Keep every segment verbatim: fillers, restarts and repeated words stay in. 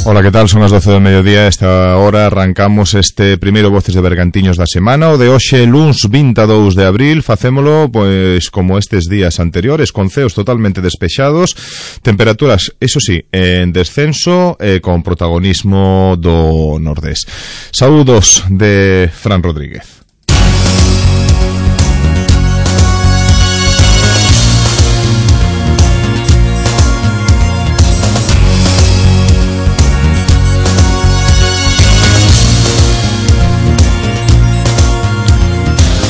Ola, que tal? Son as doce do mediodía. Esta hora arrancamos este primeiro Voces de Bergantiños da semana, o de hoxe, luns vinte e dous de abril. Facémolo, pois, como estes días anteriores, con ceos totalmente despexados, temperaturas, eso sí, en descenso, eh, con protagonismo do Nordés. Saúdos de Fran Rodríguez.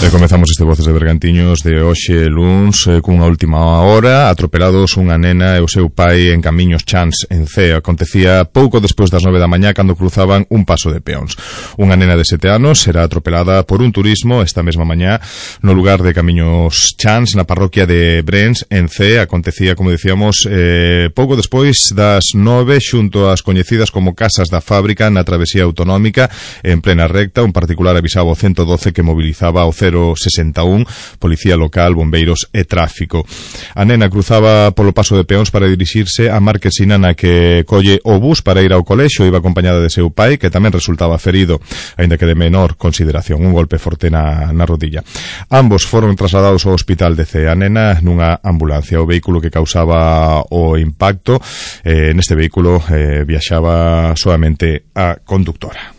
E comezamos este Voces de Bergantiños de hoxe luns eh, cunha última hora. Atropelados unha nena e o seu pai en Camiños Chans en Cee. Acontecía pouco despois das nove da mañá cando cruzaban un paso de peóns. Unha nena de sete anos será atropelada por un turismo esta mesma mañá no lugar de Camiños Chans, na parroquia de Brens en Cee. Acontecía, como dicíamos, eh, pouco despois das nove xunto ás coñecidas como Casas da Fábrica na travesía autonómica en plena recta. Un particular avisaba o ciento doce que mobilizaba o cero sesenta e un, policía local, bombeiros e tráfico. A nena cruzaba polo paso de peóns para dirixirse á marquesina na que colle o bus para ir ao colexio. Iba acompañada de seu pai, que tamén resultaba ferido, aínda que de menor consideración, un golpe forte na, na rodilla. Ambos foron trasladados ao hospital de Cee. A nena nunha ambulancia. O vehículo que causaba o impacto, eh, neste vehículo eh, viaxaba solamente a conductora.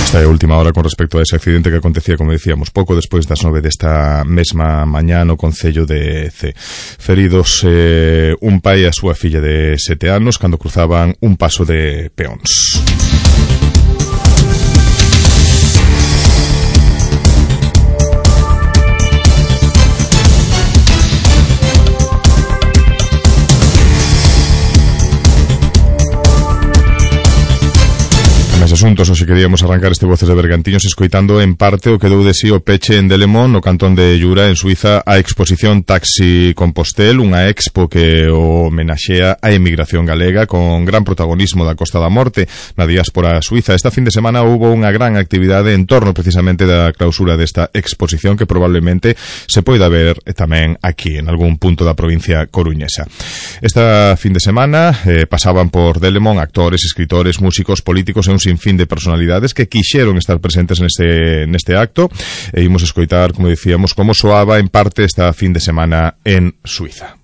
Esta é a última hora con respecto a ese accidente que acontecía, como decíamos, pouco despois das nove desta mesma mañá no concello de Cee. Feridos eh, un pai e a súa filla de sete anos cando cruzaban un paso de peóns. Asuntos, hoxe queríamos arrancar este Voces de Bergantiños escoitando en parte o que deu de si o peche en Delemón, no cantón de Llura, en Suiza, a exposición Taxi Compostel, unha expo que o homenaxea a emigración galega con gran protagonismo da Costa da Morte na diáspora suiza. Esta fin de semana houbo unha gran actividade en torno precisamente da clausura desta exposición que probablemente se poida ver tamén aquí en algún punto da provincia coruñesa. Esta fin de semana eh, pasaban por Delemón actores, escritores, músicos, políticos e un sinfín de personalidades que quixeron estar presentes neste, neste acto e imos escoitar, como dicíamos, como soaba en parte esta fin de semana en Suiza.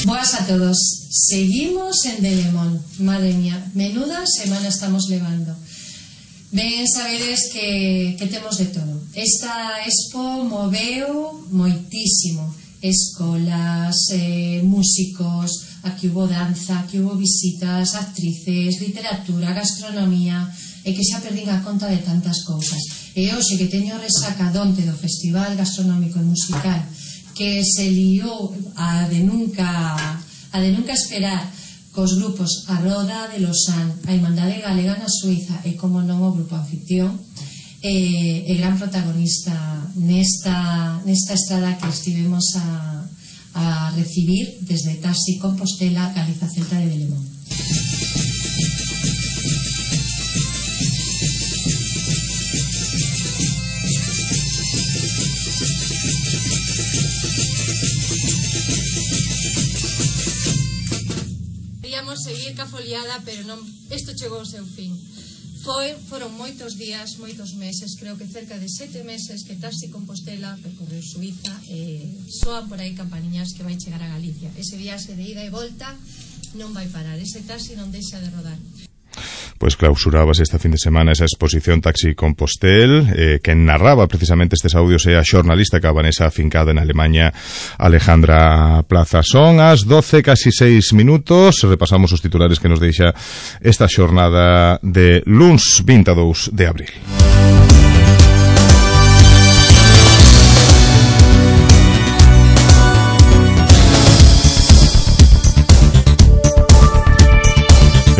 Boas a todos. Seguimos en Delemón. Madre mía, menuda semana estamos levando. Ben sabedes que, que temos de todo. Esta expo moveu moitísimo. Escolas, eh, músicos, aquí hubo danza, aquí hubo visitas, actrices, literatura, gastronomía, e que xa perdín a conta de tantas cousas. E hoxe que teño resacadonte do Festival Gastronómico e Musical, que se liou a de nunca a de nunca esperar cos grupos A Roda de Lausanne, a Irmandade Galega na Suiza e, como non, o grupo anfitrión e, e gran protagonista nesta, nesta estrada que estivemos a, a recibir desde Taxi Compostela, Galiza Celta de Delemón. Seguir ca foliada, pero non, isto chegou ao seu fin. Foi, foron moitos días, moitos meses, creo que cerca de sete meses que Taxi Compostela percorreu Suiza e soan por aí campaniñas que vai chegar a Galicia. Ese viaxe de ida e volta non vai parar, ese taxi non deixa de rodar. Pois clausurábase esta fin de semana esa exposición Taxi Compostel, eh, que narraba precisamente estes audios é a xornalista cabanesa afincada en Alemanha, Alejandra Plaza. Son as doce casi seis minutos, repasamos os titulares que nos deixa esta xornada de luns vinte e dous de abril.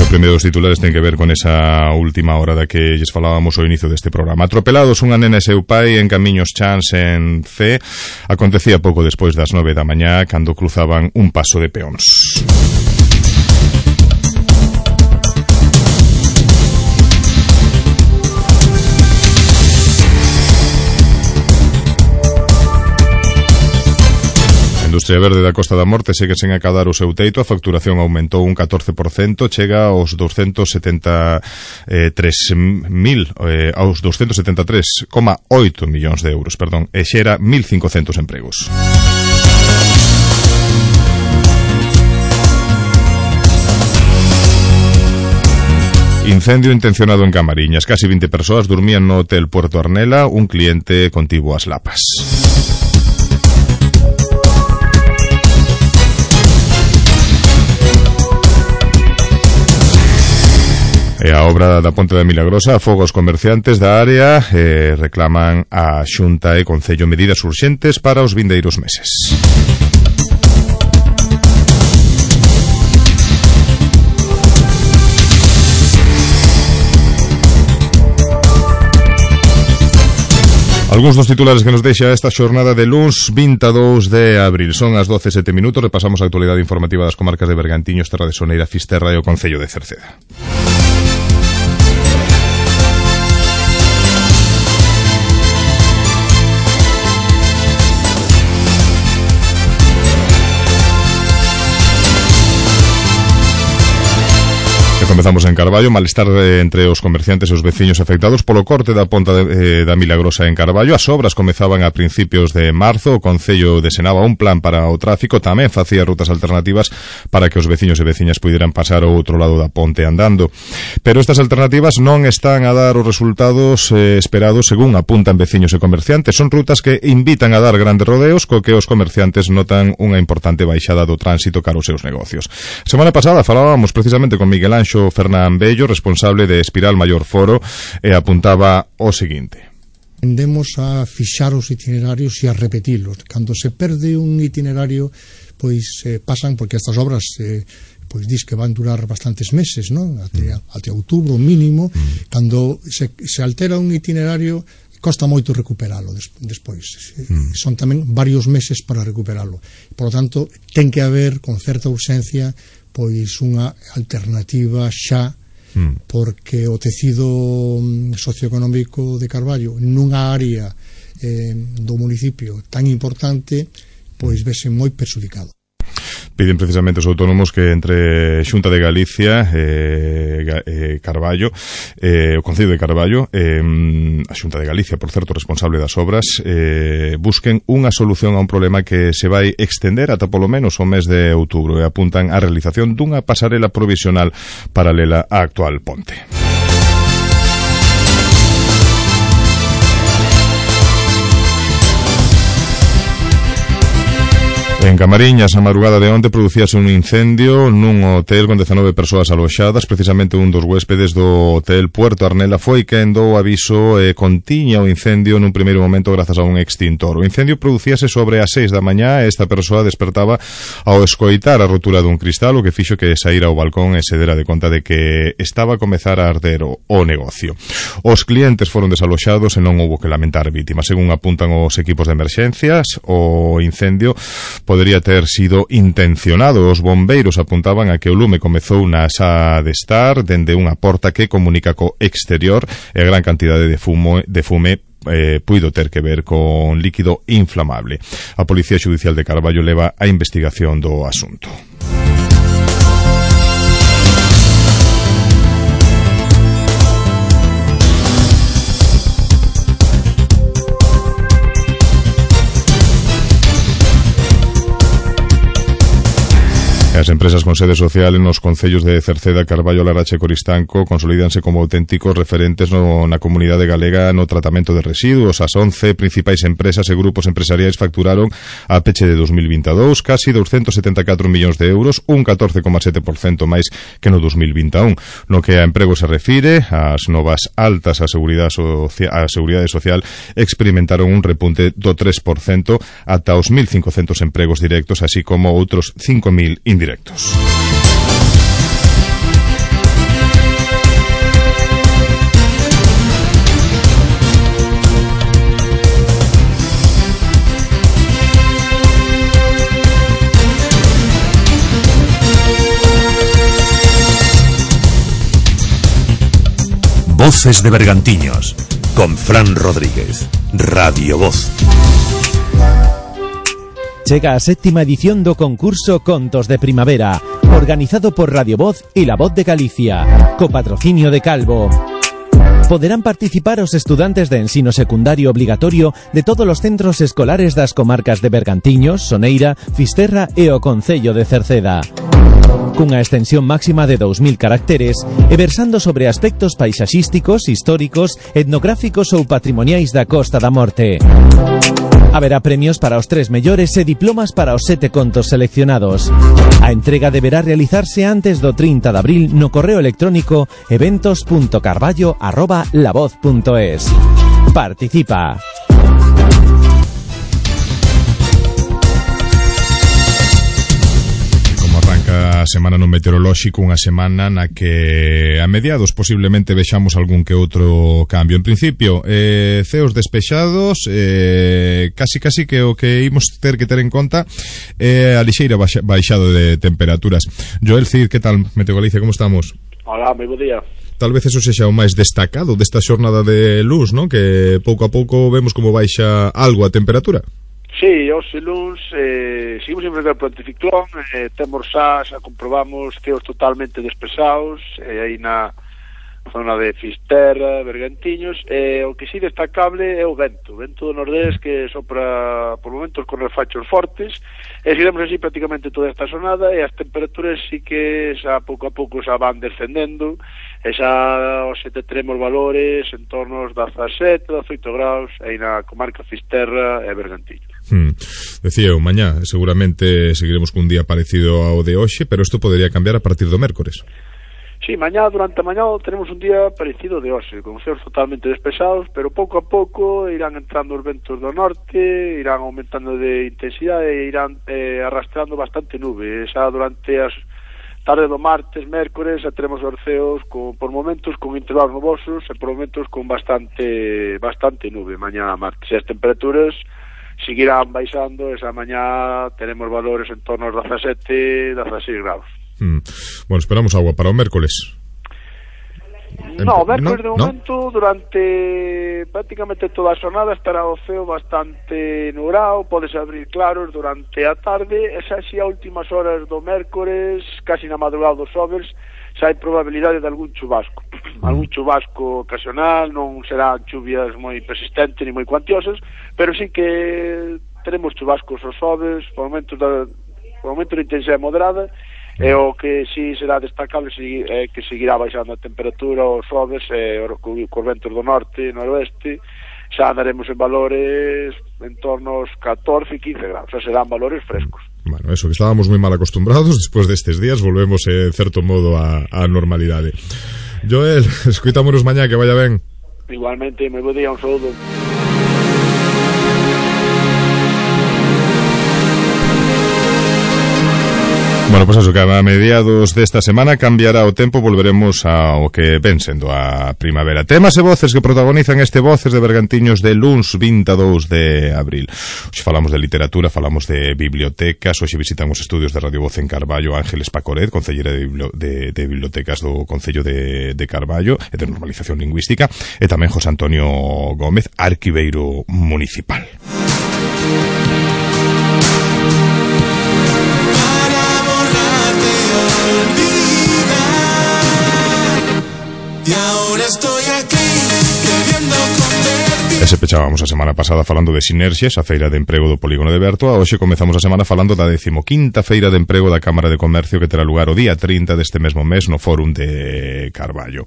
O primeiro dos titulares ten que ver con esa última hora da que lles falábamos ao inicio deste programa. Atropelados unha nena e seu pai en camiños Chans en C. Acontecía pouco despois das nove da mañá cando cruzaban un paso de peóns. A industria verde da Costa da Morte segue sen acadar o seu teito. A facturación aumentou un catorce por cento, chega aos doscientos setenta e tres mil, eh, aos doscientos setenta e tres coma oito millóns de euros, perdón, e xera mil cincocentos empregos. Incendio intencionado en Camariñas. Casi vinte persoas dormían no hotel Puerto Arnela. Un cliente contivo as lapas. E a obra da Ponte da Milagrosa afoga os comerciantes da área e reclaman a Xunta e Concello medidas urxentes para os vindeiros meses. Algúns dos titulares que nos deixa esta xornada de luns vinte e dous de abril. Son as doce e sete minutos, repasamos a actualidade informativa das comarcas de Bergantiños, Terra de Soneira, Fisterra e o Concello de Cerceda. Comezamos en Carballo, malestar entre os comerciantes e os veciños afectados polo corte da ponta de, eh, da Milagrosa en Carballo. As obras comezaban a principios de marzo. O Concello desenaba un plan para o tráfico, tamén facía rutas alternativas para que os veciños e veciñas puderan pasar ao outro lado da ponte andando. Pero estas alternativas non están a dar os resultados eh, esperados, según apuntan veciños e comerciantes. Son rutas que invitan a dar grandes rodeos, co que os comerciantes notan unha importante baixada do tránsito cara aos seus negocios. Semana pasada falábamos precisamente con Miguel Anxo Fernán Bello, responsable de Espiral Maior Foro, e apuntaba o seguinte: tendemos a fixar os itinerarios e a repetilos. Cando se perde un itinerario, pois eh, pasan, porque estas obras eh, pois dis que van durar bastantes meses, non? Até, mm. até outubro mínimo. Mm. Cando se, se altera un itinerario, costa moito recuperalo des, despois. Mm. Son tamén varios meses para recuperalo. Por lo tanto, ten que haber con certa urxencia pois unha alternativa xa, mm. porque o tecido socioeconómico de Carballo nunha área eh, do municipio tan importante pois vese moi perxudicado. Piden precisamente os autónomos que entre Xunta de Galicia e eh, Carballo, eh, o Concello de Carballo, eh, a Xunta de Galicia, por certo, responsable das obras, eh, busquen unha solución a un problema que se vai extender ata polo menos o mes de outubro, e apuntan á realización dunha pasarela provisional paralela á actual ponte. En Camariñas, a madrugada de onte, producíase un incendio nun hotel con dezanove persoas aloxadas. Precisamente un dos huéspedes do hotel Puerto Arnela foi quen dou aviso e contiña o incendio nun primeiro momento grazas a un extintor. O incendio producíase sobre as seis da mañá e esta persoa despertaba ao escoitar a rotura dun cristal, o que fixo que saíra ao balcón e se dera de conta de que estaba a comezar a arder o, o negocio. Os clientes foron desaloxados e non houbo que lamentar vítimas. Según apuntan os equipos de emerxencias, o incendio podería ter sido intencionado. Os bombeiros apuntaban a que o lume comezou na xa de estar dende unha porta que comunica co exterior e a gran cantidade de fumo de fume eh, puido ter que ver con líquido inflamable. A Policía Xudicial de Carballo leva a investigación do asunto. A As empresas con sede social nos concellos de Cerceda, Carballo, Larache e Coristanco consolídanse como auténticos referentes no, na comunidade galega no tratamento de residuos. As once principais empresas e grupos empresariais facturaron a peche de dos mil vinte e dous casi doscientos setenta e catro millóns de euros, un catorce coma sete por cento máis que no dos mil vinte e un. No que a emprego se refire, as novas altas a seguridade, socia a seguridade social experimentaron un repunte do tres por cento ata os mil cincocentos empregos directos, así como outros cinco mil indirectos. Directos. Voces de Bergantiños, con Fran Rodríguez, Radio Voz. Chega a séptima edición do concurso Contos de Primavera, organizado por Radio Voz e La Voz de Galicia, co patrocinio de Calvo. Poderán participar os estudantes de ensino secundario obligatorio de todos os centros escolares das comarcas de Bergantiños, Soneira, Fisterra e o concello de Cerceda. Cunha extensión máxima de dous mil caracteres e versando sobre aspectos paisaxísticos, históricos, etnográficos ou patrimoniais da Costa da Morte. Haberá premios para os tres mellores e diplomas para os sete contos seleccionados. A entrega deberá realizarse antes do trinta de abril no correo electrónico eventos punto carballo arroba lavoz punto es. Participa! A semana no meteorolóxico, unha semana na que a mediados posiblemente vexamos algún que outro cambio. En principio, eh, ceos despexados, eh, casi casi que o que imos ter que ter en conta é eh, a lixeira baixa, baixado de temperaturas. Joel Cid, que tal, Meteo Galicia, como estamos? Hola, moi bo día. Tal vez eso sexa o máis destacado desta xornada de luz, non? Que pouco a pouco vemos como baixa algo a temperatura. Sí, hoxe luns eh, seguimos en frente ao anticiclón, eh, temos xa, xa comprobamos ceos totalmente despesados eh, aí na zona de Fisterra, Bergantiños, e eh, o que sí destacable é o vento, o vento do nordés que sopra por momentos con refachos fortes, e seguimos así prácticamente toda esta sonada, e as temperaturas sí que xa pouco a pouco xa van descendendo, e xa hoxe teremos valores en torno aos dezasete, dezoito graus aí na comarca Fisterra e Bergantiños. Hmm. Decía eu, mañá seguramente seguiremos cun día parecido ao de hoxe, pero isto podería cambiar a partir do mércores. Sí, mañá, durante a mañá tenemos un día parecido de hoxe, con ceos totalmente despesados, pero pouco a pouco irán entrando os ventos do norte, irán aumentando de intensidade e irán eh, arrastrando bastante nube. Xa durante as tarde do martes, mércores, xa teremos os ceos con, por momentos con intervalos nubosos e por momentos con bastante bastante nube mañá martes. E as temperaturas seguirán baixando, esa mañá tenemos valores en torno aos dezasete, dezasseis graus. Mm. Bueno, esperamos agua para o mércoles. No, o mércoles no, de momento no. Durante prácticamente toda a xornada estará o ceo bastante nublado, podes abrir claros durante a tarde, e xa si a últimas horas do mércoles, casi na madrugada dos xoves, xa hai probabilidade de algún chubasco. Algún chubasco ocasional, non serán chuvias moi persistentes ni moi cuantiosas, pero sí que teremos chubascos os xoves, por momentos da, por momentos de intensidade moderada. E o que si será destacable é que seguirá baixando a temperatura os xoves e cos ventos do norte e noroeste xa andaremos en valores en torno aos catorce e quince graus, xa serán valores frescos. Bueno, eso, que estábamos moi mal acostumbrados, despois destes días volvemos en certo modo a, a normalidade. Joel, escuitámonos mañá, que vaya ben. Igualmente, moi bo día, un saúdo. Bueno, pues eso, que a mediados desta semana cambiará o tempo, volveremos ao que ven sendo a primavera. Temas e voces que protagonizan este Voces de Bergantiños de luns vinte e dous de abril. Hoxe falamos de literatura, falamos de bibliotecas, hoxe visitamos estudios de Radio Voz en Carballo, Ángeles Pacoret, concellera de, bibli de, de bibliotecas do Concello de, de Carballo e de normalización lingüística, e tamén José Antonio Gómez, arquiveiro municipal. se pechábamos a semana pasada falando de Sinerxias, a feira de emprego do Polígono de Bertoa. Hoxe comezamos a semana falando da decimoquinta feira de emprego da Cámara de Comercio que terá lugar o día trinta deste mesmo mes no Fórum de Carballo.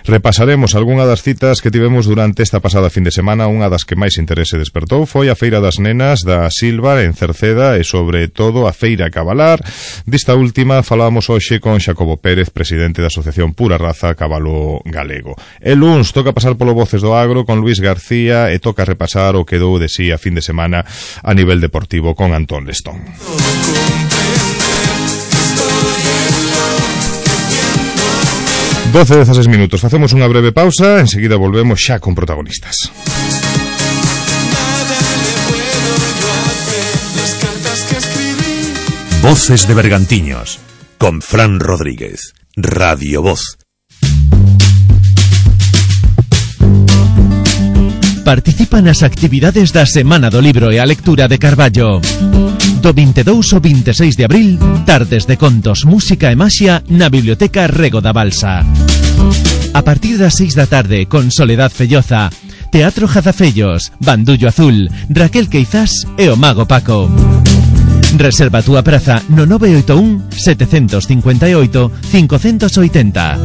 Repasaremos algunha das citas que tivemos durante esta pasada fin de semana. Unha das que máis interese despertou foi a Feira das Nenas da Silva en Cerceda e sobre todo a Feira Cabalar. Desta última falábamos hoxe con Xacobo Pérez, presidente da Asociación Pura Raza Cabalo Galego. El luns toca pasar polo Voces do Agro con Luis García e toca repasar o que dou de sí a fin de semana a nivel deportivo con Antón Lestón. doce dezaseis minutos, facemos unha breve pausa, enseguida volvemos xa con protagonistas. Voces de Bergantiños con Fran Rodríguez, Radio Voz. Participa nas actividades da Semana do Libro e a Lectura de Carballo. Do vinte e dous ao vinte e seis de abril, tardes de contos, música e maxia na Biblioteca Rego da Balsa. A partir das seis da tarde, con Soledad Felloza, Teatro Jazafellos, Bandullo Azul, Raquel Queizás e o Mago Paco. Reserva a túa praza no nove oito un, sete cinco oito, cinco oito zero.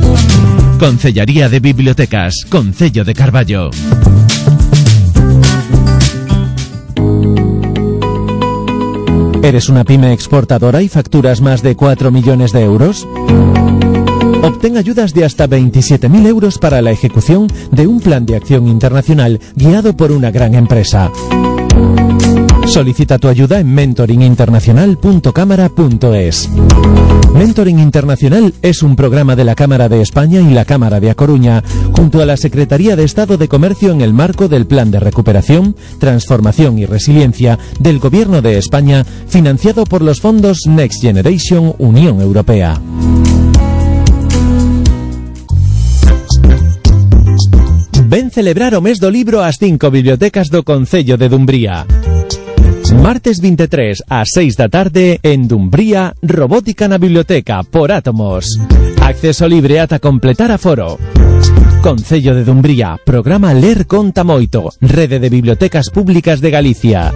Concellaría de Bibliotecas, Concello de Carballo. ¿Eres una pyme exportadora y facturas más de cuatro millones de euros? Obtén ayudas de hasta veintisiete mil euros para la ejecución de un plan de acción internacional guiado por una gran empresa. Solicita tu ayuda en mentoring internacional punto cámara punto es. Mentoring Internacional es un programa de la Cámara de España y la Cámara de A Coruña, junto a la Secretaría de Estado de Comercio en el marco del Plan de Recuperación, Transformación y Resiliencia del Gobierno de España, financiado por los fondos Next Generation Unión Europea. Ven celebrar o mes do libro ás cinco bibliotecas do Concello de Dumbría. Martes vinte e tres ás seis da tarde en Dumbría, Robótica na Biblioteca por Átomos. Acceso libre ata completar aforo. Concello de Dumbría, programa Ler Conta Moito, Rede de Bibliotecas Públicas de Galicia.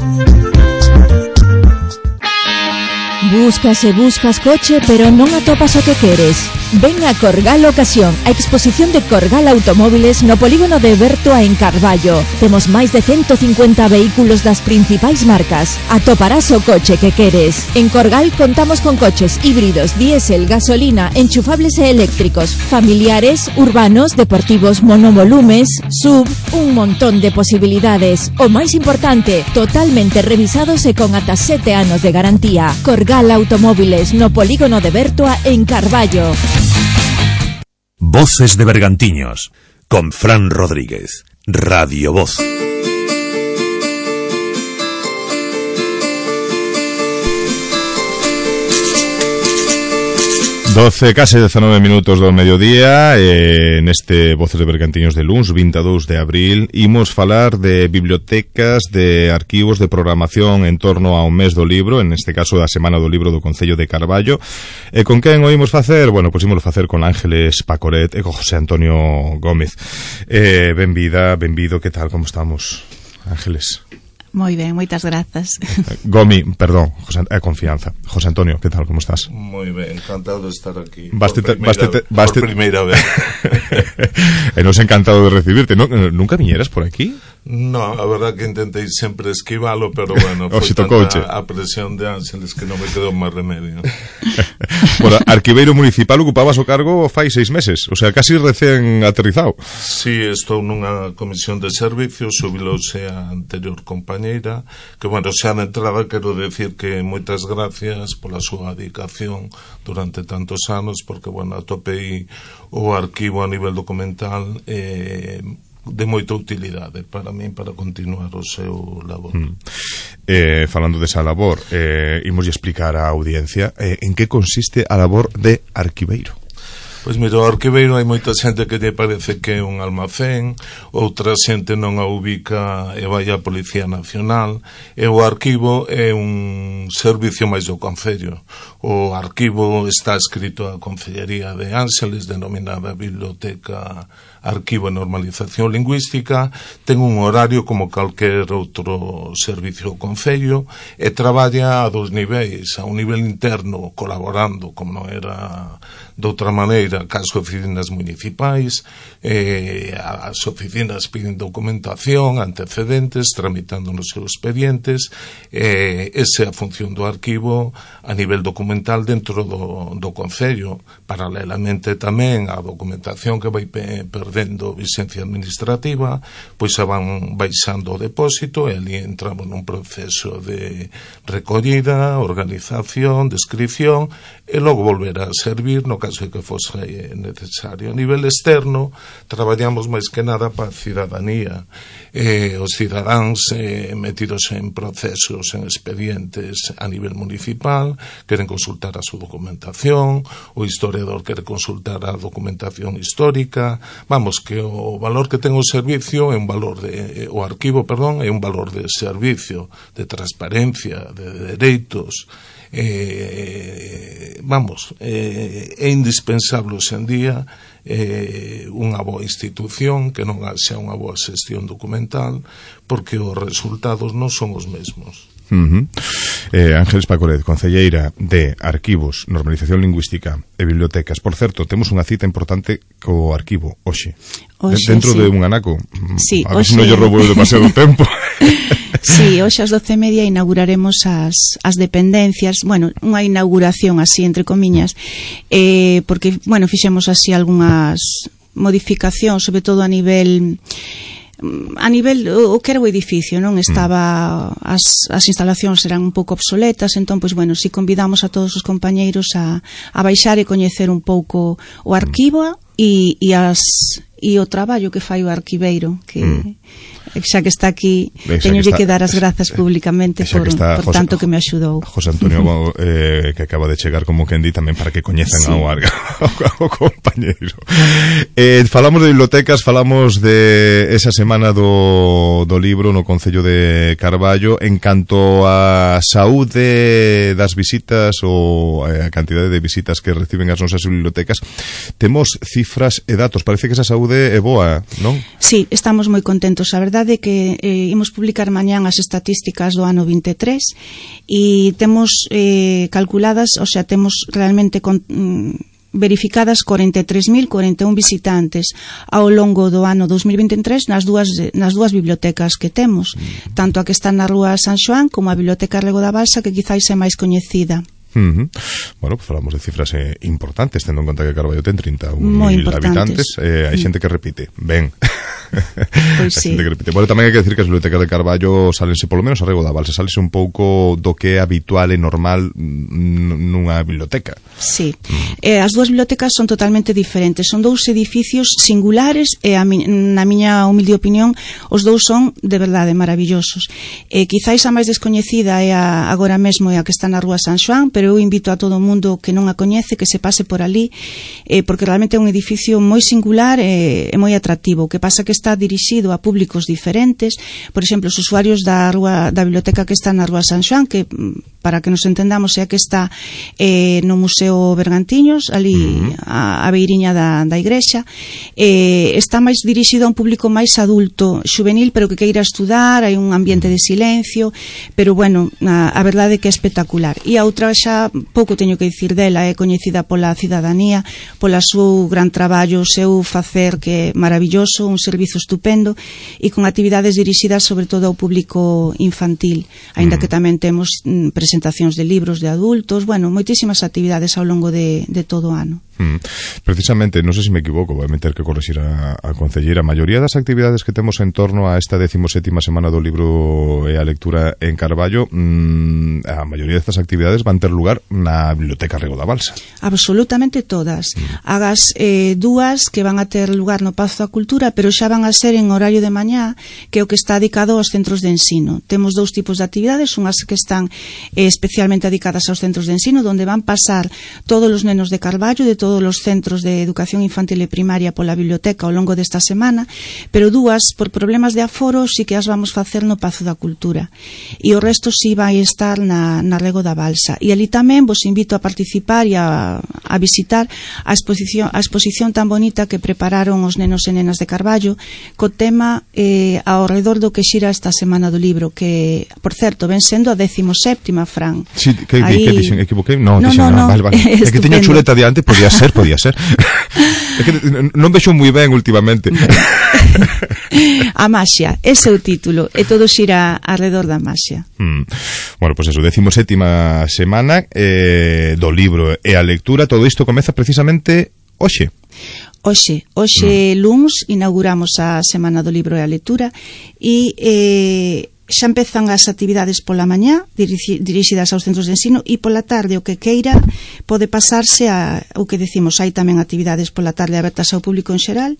Buscas e buscas coche, pero non atopas o que queres. Ven a Corgal Ocasión, a exposición de Corgal Automóviles no polígono de Bertoa en Carballo. Temos máis de ciento cincuenta vehículos das principais marcas. Atoparás o coche que queres. En Corgal contamos con coches híbridos, diésel, gasolina, enchufables e eléctricos, familiares, urbanos, deportivos, monovolumes, sub, un montón de posibilidades. O máis importante, totalmente revisados e con ata sete anos de garantía. Corgal Automóviles no polígono de Bertoa en Carballo. Voces de Bergantiños con Fran Rodríguez, Radio Voz. doce, case dezanove minutos do mediodía eh, neste Voces de Bergantiños de luns, vinte e dous de abril. Imos falar de bibliotecas, de arquivos, de programación en torno ao mes do libro, en este caso da Semana do Libro do Concello de Carballo. E con quen o imos facer? Bueno, pois imos facer con Ángeles Pacoret e con José Antonio Gómez. Eh, benvida, benvido, que tal, como estamos, Ángeles? Moi ben, moitas grazas. Gomi, perdón, José, eh, confianza. José Antonio, que tal, como estás? Moi ben, encantado de estar aquí. Baste, por primeira, baste, baste, por primeira vez. E nos encantado de recibirte. ¿No, ¿Nunca viñeras por aquí? No, a verdad que intentei sempre esquivalo, pero bueno, foi tanta a presión de Ángeles que non me quedou máis remedio. Bueno, arquiveiro municipal, ocupabas o cargo fai seis meses, o sea, casi recén aterrizado. Sí, estou nunha comisión de servicios, xubilouse a anterior compañeira, que, bueno, xa de entrada quero decir que moitas gracias pola súa dedicación durante tantos anos, porque, bueno, atopei o arquivo a nivel documental eh, de moita utilidade para min para continuar o seu labor. Mm. Eh, falando desa labor, eh, imos explicar á audiencia eh, en que consiste a labor de arquiveiro. Pois mira, o arquiveiro hai moita xente que lle parece que é un almacén, outra xente non a ubica e vai a Policía Nacional, e o arquivo é un servicio máis do Concello. O arquivo está escrito a Concellería de Ángeles, denominada Biblioteca Arquivo e Normalización Lingüística, ten un horario como calquer outro servicio do Concello e traballa a dos niveis, a un nivel interno colaborando, como non era de outra maneira, cas oficinas municipais, eh, as oficinas piden documentación, antecedentes, tramitando nos seus expedientes, eh, esa é a función do arquivo a nivel documental dentro do, do Concello. Paralelamente tamén a documentación que vai pe perdendo vigencia administrativa, pois se van baixando o depósito e ali entramos nun proceso de recollida, organización, descripción e logo volver a servir no caso de que fose necesario. A nivel externo traballamos máis que nada para a cidadanía, eh, os cidadáns eh, metidos en procesos, en expedientes a nivel municipal, queren consultar a súa documentación, o historiador quere consultar a documentación histórica. Vamos, que o valor que ten o servicio é un valor de, o arquivo, perdón, é un valor de servicio, de transparencia, de dereitos. Eh, vamos, eh, é indispensable hoxe en día eh, unha boa institución, que non xa unha boa xestión documental, porque os resultados non son os mesmos. Uh -huh. eh, Ángeles Pacoret, concelleira de Arquivos, Normalización Lingüística e Bibliotecas. Por certo, temos unha cita importante co arquivo hoxe, Oxe, dentro sí. de un anaco. Sí, a ver oxe... se non lle roubo demasiado tempo. Sí, hoxe ás doce e media inauguraremos as, as dependencias, bueno, unha inauguración así, entre comiñas, eh, porque, bueno, fixemos así algunhas modificacións, sobre todo a nivel... a nivel, o que era o edificio, non estaba, as, as instalacións eran un pouco obsoletas, entón, pois, bueno, si convidamos a todos os compañeiros a, a baixar e coñecer un pouco o arquivo e, e as e o traballo que fai o arquiveiro, que mm. xa que está aquí, teñolle que, que dar as grazas públicamente por, por José, tanto que me axudou. José Antonio eh, que acaba de chegar, como quen di, tamén para que coñezan sí. ao, ao compañeiro. Eh, falamos de bibliotecas, falamos de esa semana do, do libro no Concello de Carballo. En canto a saúde das visitas ou a cantidade de visitas que reciben as nosas bibliotecas, temos cifras e datos. Parece que esa saúde é boa, non? Sí, estamos moi contentos. A verdade é que eh, imos publicar mañán as estatísticas do ano vinte e tres e temos eh, calculadas, o sea, temos realmente con, mm, verificadas cuarenta e tres mil cuarenta e un visitantes ao longo do ano dos mil vinte e tres nas dúas, nas dúas bibliotecas que temos, tanto a que está na Rúa San Xoán como a Biblioteca Rego da Balsa, que quizáis é máis coñecida. Uh -huh. Bueno, pues falamos de cifras eh, importantes, tendo en conta que Carballo ten trinta e un mil habitantes, eh, hai xente que repite, ben. Pois sí. Que repite. Bueno, tamén hai que decir que as bibliotecas de Carballo salense, polo menos a Rego da Balsa, salense un pouco do que é habitual e normal nunha biblioteca. Sí, mm. eh, as dúas bibliotecas son totalmente diferentes, son dous edificios singulares e a mi, na miña humilde opinión os dous son de verdade maravillosos. Eh, quizáis a máis descoñecida é a, agora mesmo é a que está na Rúa San Xoán, pero eu invito a todo o mundo que non a coñece que se pase por ali, eh, porque realmente é un edificio moi singular e, e moi atractivo. O que pasa que está dirixido a públicos diferentes. Por exemplo, os usuarios da rúa, da biblioteca que está na Rúa San Xoán, que para que nos entendamos é a que está eh, no Museo Bergantiños, ali uh -huh. a, a beiriña da, da igrexa, eh, está máis dirixido a un público máis adulto, juvenil, pero que queira estudar, hai un ambiente de silencio, pero bueno, a, a verdade é que é espectacular. E a outra xa pouco teño que dicir dela, é coñecida pola cidadanía, pola seu gran traballo, o seu facer que é maravilloso, un servizo estupendo e con actividades dirixidas sobre todo ao público infantil, aínda que tamén temos mm, presentacións de libros de adultos, bueno, moitísimas actividades ao longo de, de todo o ano. Mm. Precisamente, non sei se me equivoco, vou meter que correxir a, a concelleira, a maioría das actividades que temos en torno a esta decimosétima semana do libro e a lectura en Carballo, mm, a maioría destas actividades van ter lugar na Biblioteca Rego da Balsa. Absolutamente todas. Mm. Hagas eh, dúas que van a ter lugar no Pazo da Cultura, pero xa van a ser en horario de mañá, que é o que está dedicado aos centros de ensino. Temos dous tipos de actividades, unhas que están eh, especialmente dedicadas aos centros de ensino, donde van pasar todos os nenos de Carballo, de todos os centros de educación infantil e primaria pola biblioteca ao longo desta semana, pero dúas, por problemas de aforo, sí que as vamos facer no Pazo da Cultura. E o resto sí vai estar na, na Rego da Balsa. E ali tamén vos invito a participar e a, a visitar a exposición, a exposición tan bonita que prepararon os nenos e nenas de Carballo, co tema eh, ao redor do que xira esta Semana do Libro, que, por certo, ven sendo a décimo séptima, Fran. Sí, que, Ahí... que dixen, equivoquei? No, no, dixen, no, no, vale, vale. É que teño chuleta diante, podía ser, podía ser. É que non vexo moi ben últimamente. A maxia, ese é o título, e todo xira alrededor da maxia. Mm. Bueno, pois pues eso, décimo sétima semana eh, do libro e a lectura, todo isto comeza precisamente hoxe. Hoxe, hoxe mm. luns inauguramos a Semana do Libro e a Lectura e eh, xa empezan as actividades pola mañá dirixidas aos centros de ensino e pola tarde o que queira pode pasarse a o que decimos, hai tamén actividades pola tarde abertas ao público en xeral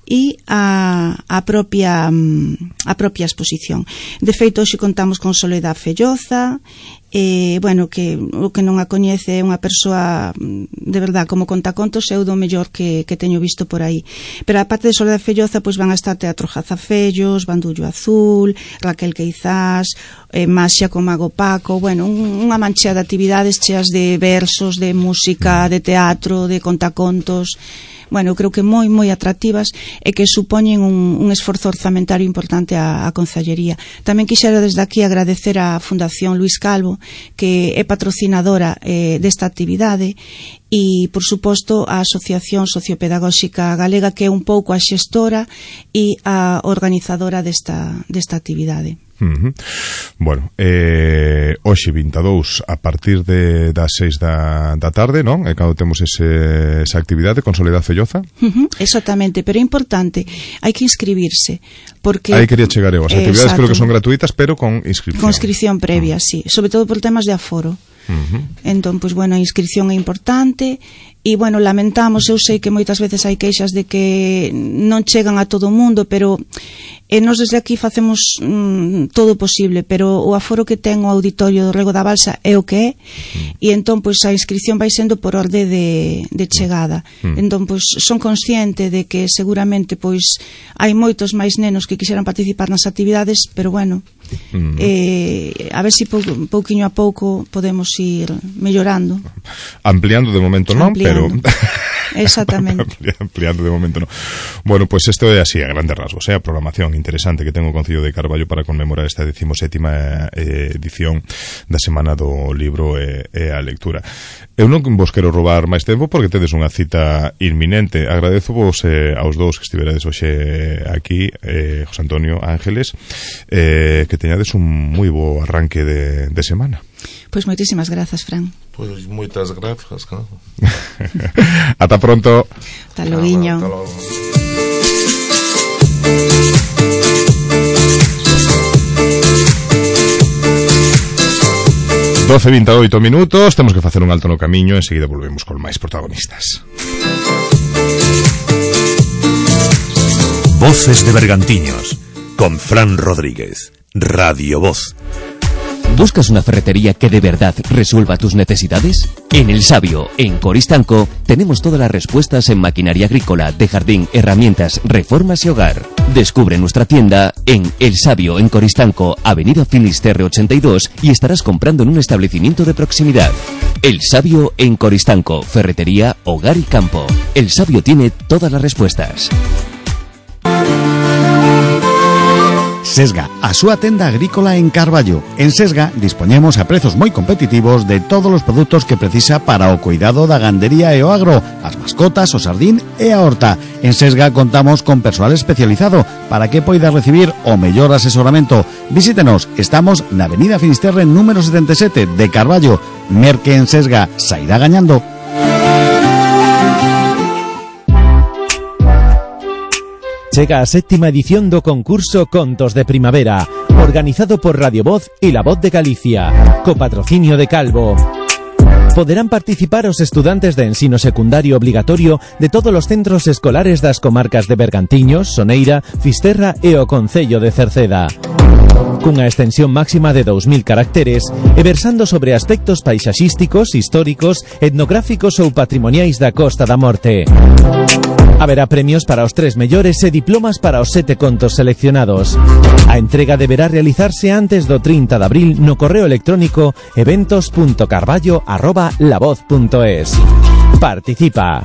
e a, a propia a propia exposición. De feito, hoxe contamos con Soledad Felloza, eh, bueno, que o que non a coñece é unha persoa de verdad, como contacontos, é o do mellor que, que teño visto por aí. Pero a parte de Soledad Felloza, pois van a estar Teatro Jazafellos, Bandullo Azul, Raquel Queizás, eh, Maxia con Mago Paco, bueno, un, unha manchea de actividades cheas de versos, de música, de teatro, de contacontos. Bueno, creo que moi, moi atractivas e que supoñen un, un esforzo orzamentario importante á, á Concellería. Tamén quixera desde aquí agradecer á Fundación Luís Calvo, que é patrocinadora eh, desta actividade, e, por suposto, a Asociación Sociopedagóxica Galega, que é un pouco a xestora e a organizadora desta, desta actividade. Uh-huh. Bueno, eh, hoxe vinte e dous a partir de, das seis da, da tarde, non? É cando temos ese, esa actividade con Soledad Felloza. Uh-huh, exactamente, pero é importante, hai que inscribirse porque... Aí quería chegar eu, as actividades eh, creo que son gratuitas, pero con inscripción. Con inscripción previa, uh-huh. sí, sobre todo por temas de aforo. Uh-huh. Entón, pois, bueno, a inscripción é importante e, bueno, lamentamos, eu sei que moitas veces hai queixas de que non chegan a todo o mundo, pero e nós desde aquí facemos mm, todo o posible, pero o aforo que ten o auditorio do Rego da Balsa é o que é, uh-huh. e entón, pois, a inscripción vai sendo por orde de, de chegada. Uh-huh. Entón, pois, son consciente de que seguramente, pois, hai moitos máis nenos que quixeran participar nas actividades, pero, bueno, uh-huh. eh, a ver se si pou, pouquiño a pouco podemos ir mellorando. Ampliando de momento non, pero... Exactamente. Ampliando de momento non. Bueno, pois pues isto é así, a grandes rasgos, eh? A programación interesante que ten o Concello de Carballo para conmemorar esta decimosétima eh, edición da Semana do Libro e, e a Lectura. Eu non vos quero roubar máis tempo porque tedes unha cita inminente. Agradezo vos eh, aos dous que estiverades hoxe aquí, eh, José Antonio, Ángeles, eh, que teñades un moi bo arranque de, de semana. Pois pues moitísimas grazas, Fran. Pois pues moitas grazas, claro. Ata pronto. Ata loguiño. Ata logo. doce e vinte e oito minutos, temos que facer un alto no camiño e enseguida volvemos con máis protagonistas. Voces de Bergantiños con Fran Rodríguez, Radio Voz. ¿Buscas una ferretería que de verdad resuelva tus necesidades? En El Sabio, en Coristanco, tenemos todas las respuestas en maquinaria agrícola, de jardín, herramientas, reformas y hogar. Descubre nuestra tienda en El Sabio, en Coristanco, Avenida Finisterre ochenta y dos, y estarás comprando en un establecimiento de proximidad. El Sabio, en Coristanco, ferretería, hogar y campo. El Sabio tiene todas las respuestas. Sesga, a súa tenda agrícola en Carballo. En Sesga dispoñemos a prezos moi competitivos de todos os produtos que precisa para o cuidado da gandería e o agro, as mascotas, o sardín e a horta. En Sesga contamos con persoal especializado para que poida recibir o mellor asesoramento. Visítenos, estamos na Avenida Finisterre número setenta e sete de Carballo. Merque en Sesga, sairá gañando. Chega a séptima edición do concurso Contos de Primavera, organizado por Radio Voz e La Voz de Galicia, co patrocinio de Calvo. Poderán participar os estudantes de ensino secundario obligatorio de todos os centros escolares das comarcas de Bergantiños, Soneira, Fisterra e o Concello de Cerceda. Cunha extensión máxima de dous mil caracteres e versando sobre aspectos paisaxísticos, históricos, etnográficos ou patrimoniais da Costa da Morte. Haberá premios para os tres mellores e diplomas para os sete contos seleccionados. A entrega deberá realizarse antes do trinta de abril no correo electrónico eventos punto carballo arroba lavoz punto es. Participa.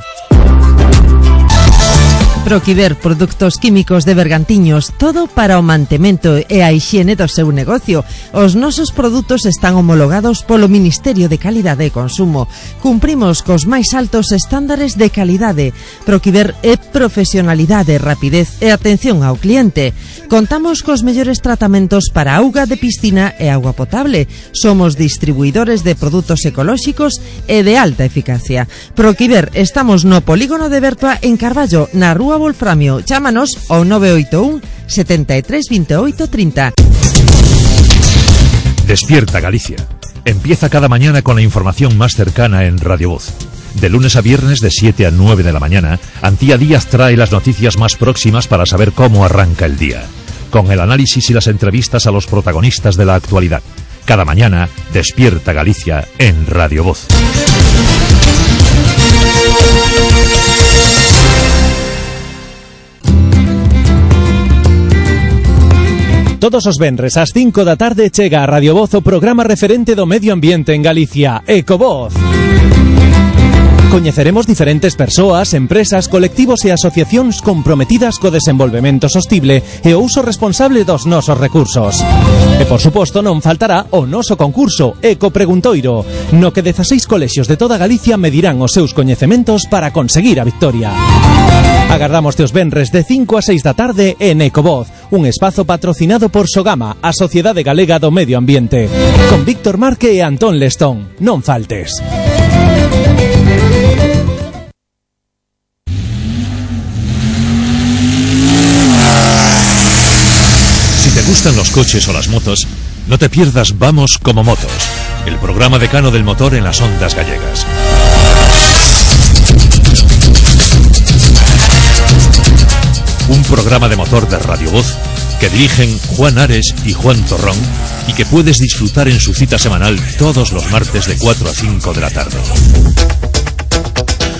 Proquiver Produtos Químicos de Bergantiños, todo para o mantemento e a hixiene do seu negocio. Os nosos produtos están homologados polo Ministerio de Calidade e Consumo. Cumprimos cos máis altos estándares de calidade. Proquiver é profesionalidade, rapidez e atención ao cliente. Contamos cos mellores tratamentos para auga de piscina e auga potable. Somos distribuidores de produtos ecolóxicos e de alta eficacia. Proquiver, estamos no Polígono de Bertoa en Carballo, na Rúa Wolframio. Chámanos ao nove oito un, setenta e tres, veintiocho, treinta. Despierta Galicia. Empieza cada mañana con la información más cercana en Radio Voz. De lunes a viernes de siete a nueve de la mañana, Antía Díaz trae las noticias más próximas para saber cómo arranca el día, con el análisis y las entrevistas a los protagonistas de la actualidad. Cada mañana, Despierta Galicia en Radio Voz. Todos os venres ás cinco da tarde chega a Radio Voz o programa referente do medio ambiente en Galicia, Ecovoz. Coñeceremos diferentes persoas, empresas, colectivos e asociacións comprometidas co desenvolvemento sostible e o uso responsable dos nosos recursos. E, por suposto, non faltará o noso concurso Eco Preguntoiro, no que dezaseis colexios de toda Galicia medirán os seus coñecementos para conseguir a victoria. Agardamos os venres de cinco a seis da tarde en Ecovoz, un espazo patrocinado por Sogama, a Sociedade Galega do Medio Ambiente, con Víctor Marque e Antón Lestón. Non faltes. Si te gustan los coches o las motos, no te pierdas Vamos como Motos, el programa decano del motor en las ondas gallegas. Un programa de motor de Radio Voz que dirigen Juan Ares y Juan Torrón y que puedes disfrutar en su cita semanal todos los martes de cuatro a cinco de la tarde.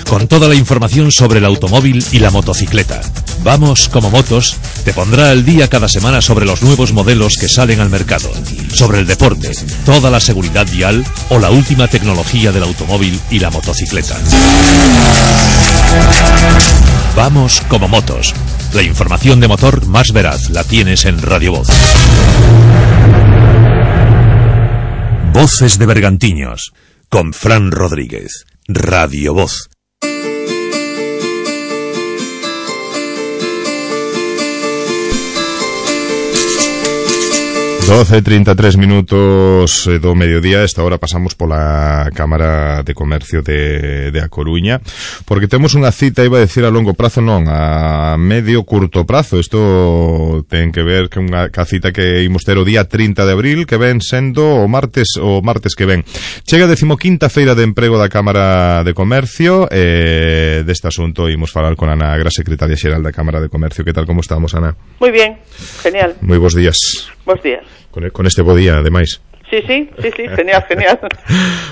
Con toda la información sobre el automóvil y la motocicleta. Vamos como Motos te pondrá al día cada semana sobre los nuevos modelos que salen al mercado, sobre el deporte, toda la seguridad vial o la última tecnología del automóvil y la motocicleta. Vamos como Motos. La información de motor más veraz la tienes en Radio Voz. Voces de Bergantiños, con Fran Rodríguez. Radio Voz. doce e trinta e tres minutos do mediodía. Esta hora pasamos pola Cámara de Comercio de, de A Coruña, porque temos unha cita, iba a decir a longo prazo, non, a medio curto prazo. Isto ten que ver con unha ca cita que imos ter o día trinta de abril, que ven sendo o martes o martes que ven. Chega a decimoquinta feira de emprego da Cámara de Comercio. E deste asunto imos falar con Ana Agra, secretaria xeral da Cámara de Comercio. Que tal, como estamos, Ana? Moi bien, genial. Moi bons días. Bos días. Con, con este bo día, ademais. Sí, sí, sí, sí, genial, genial.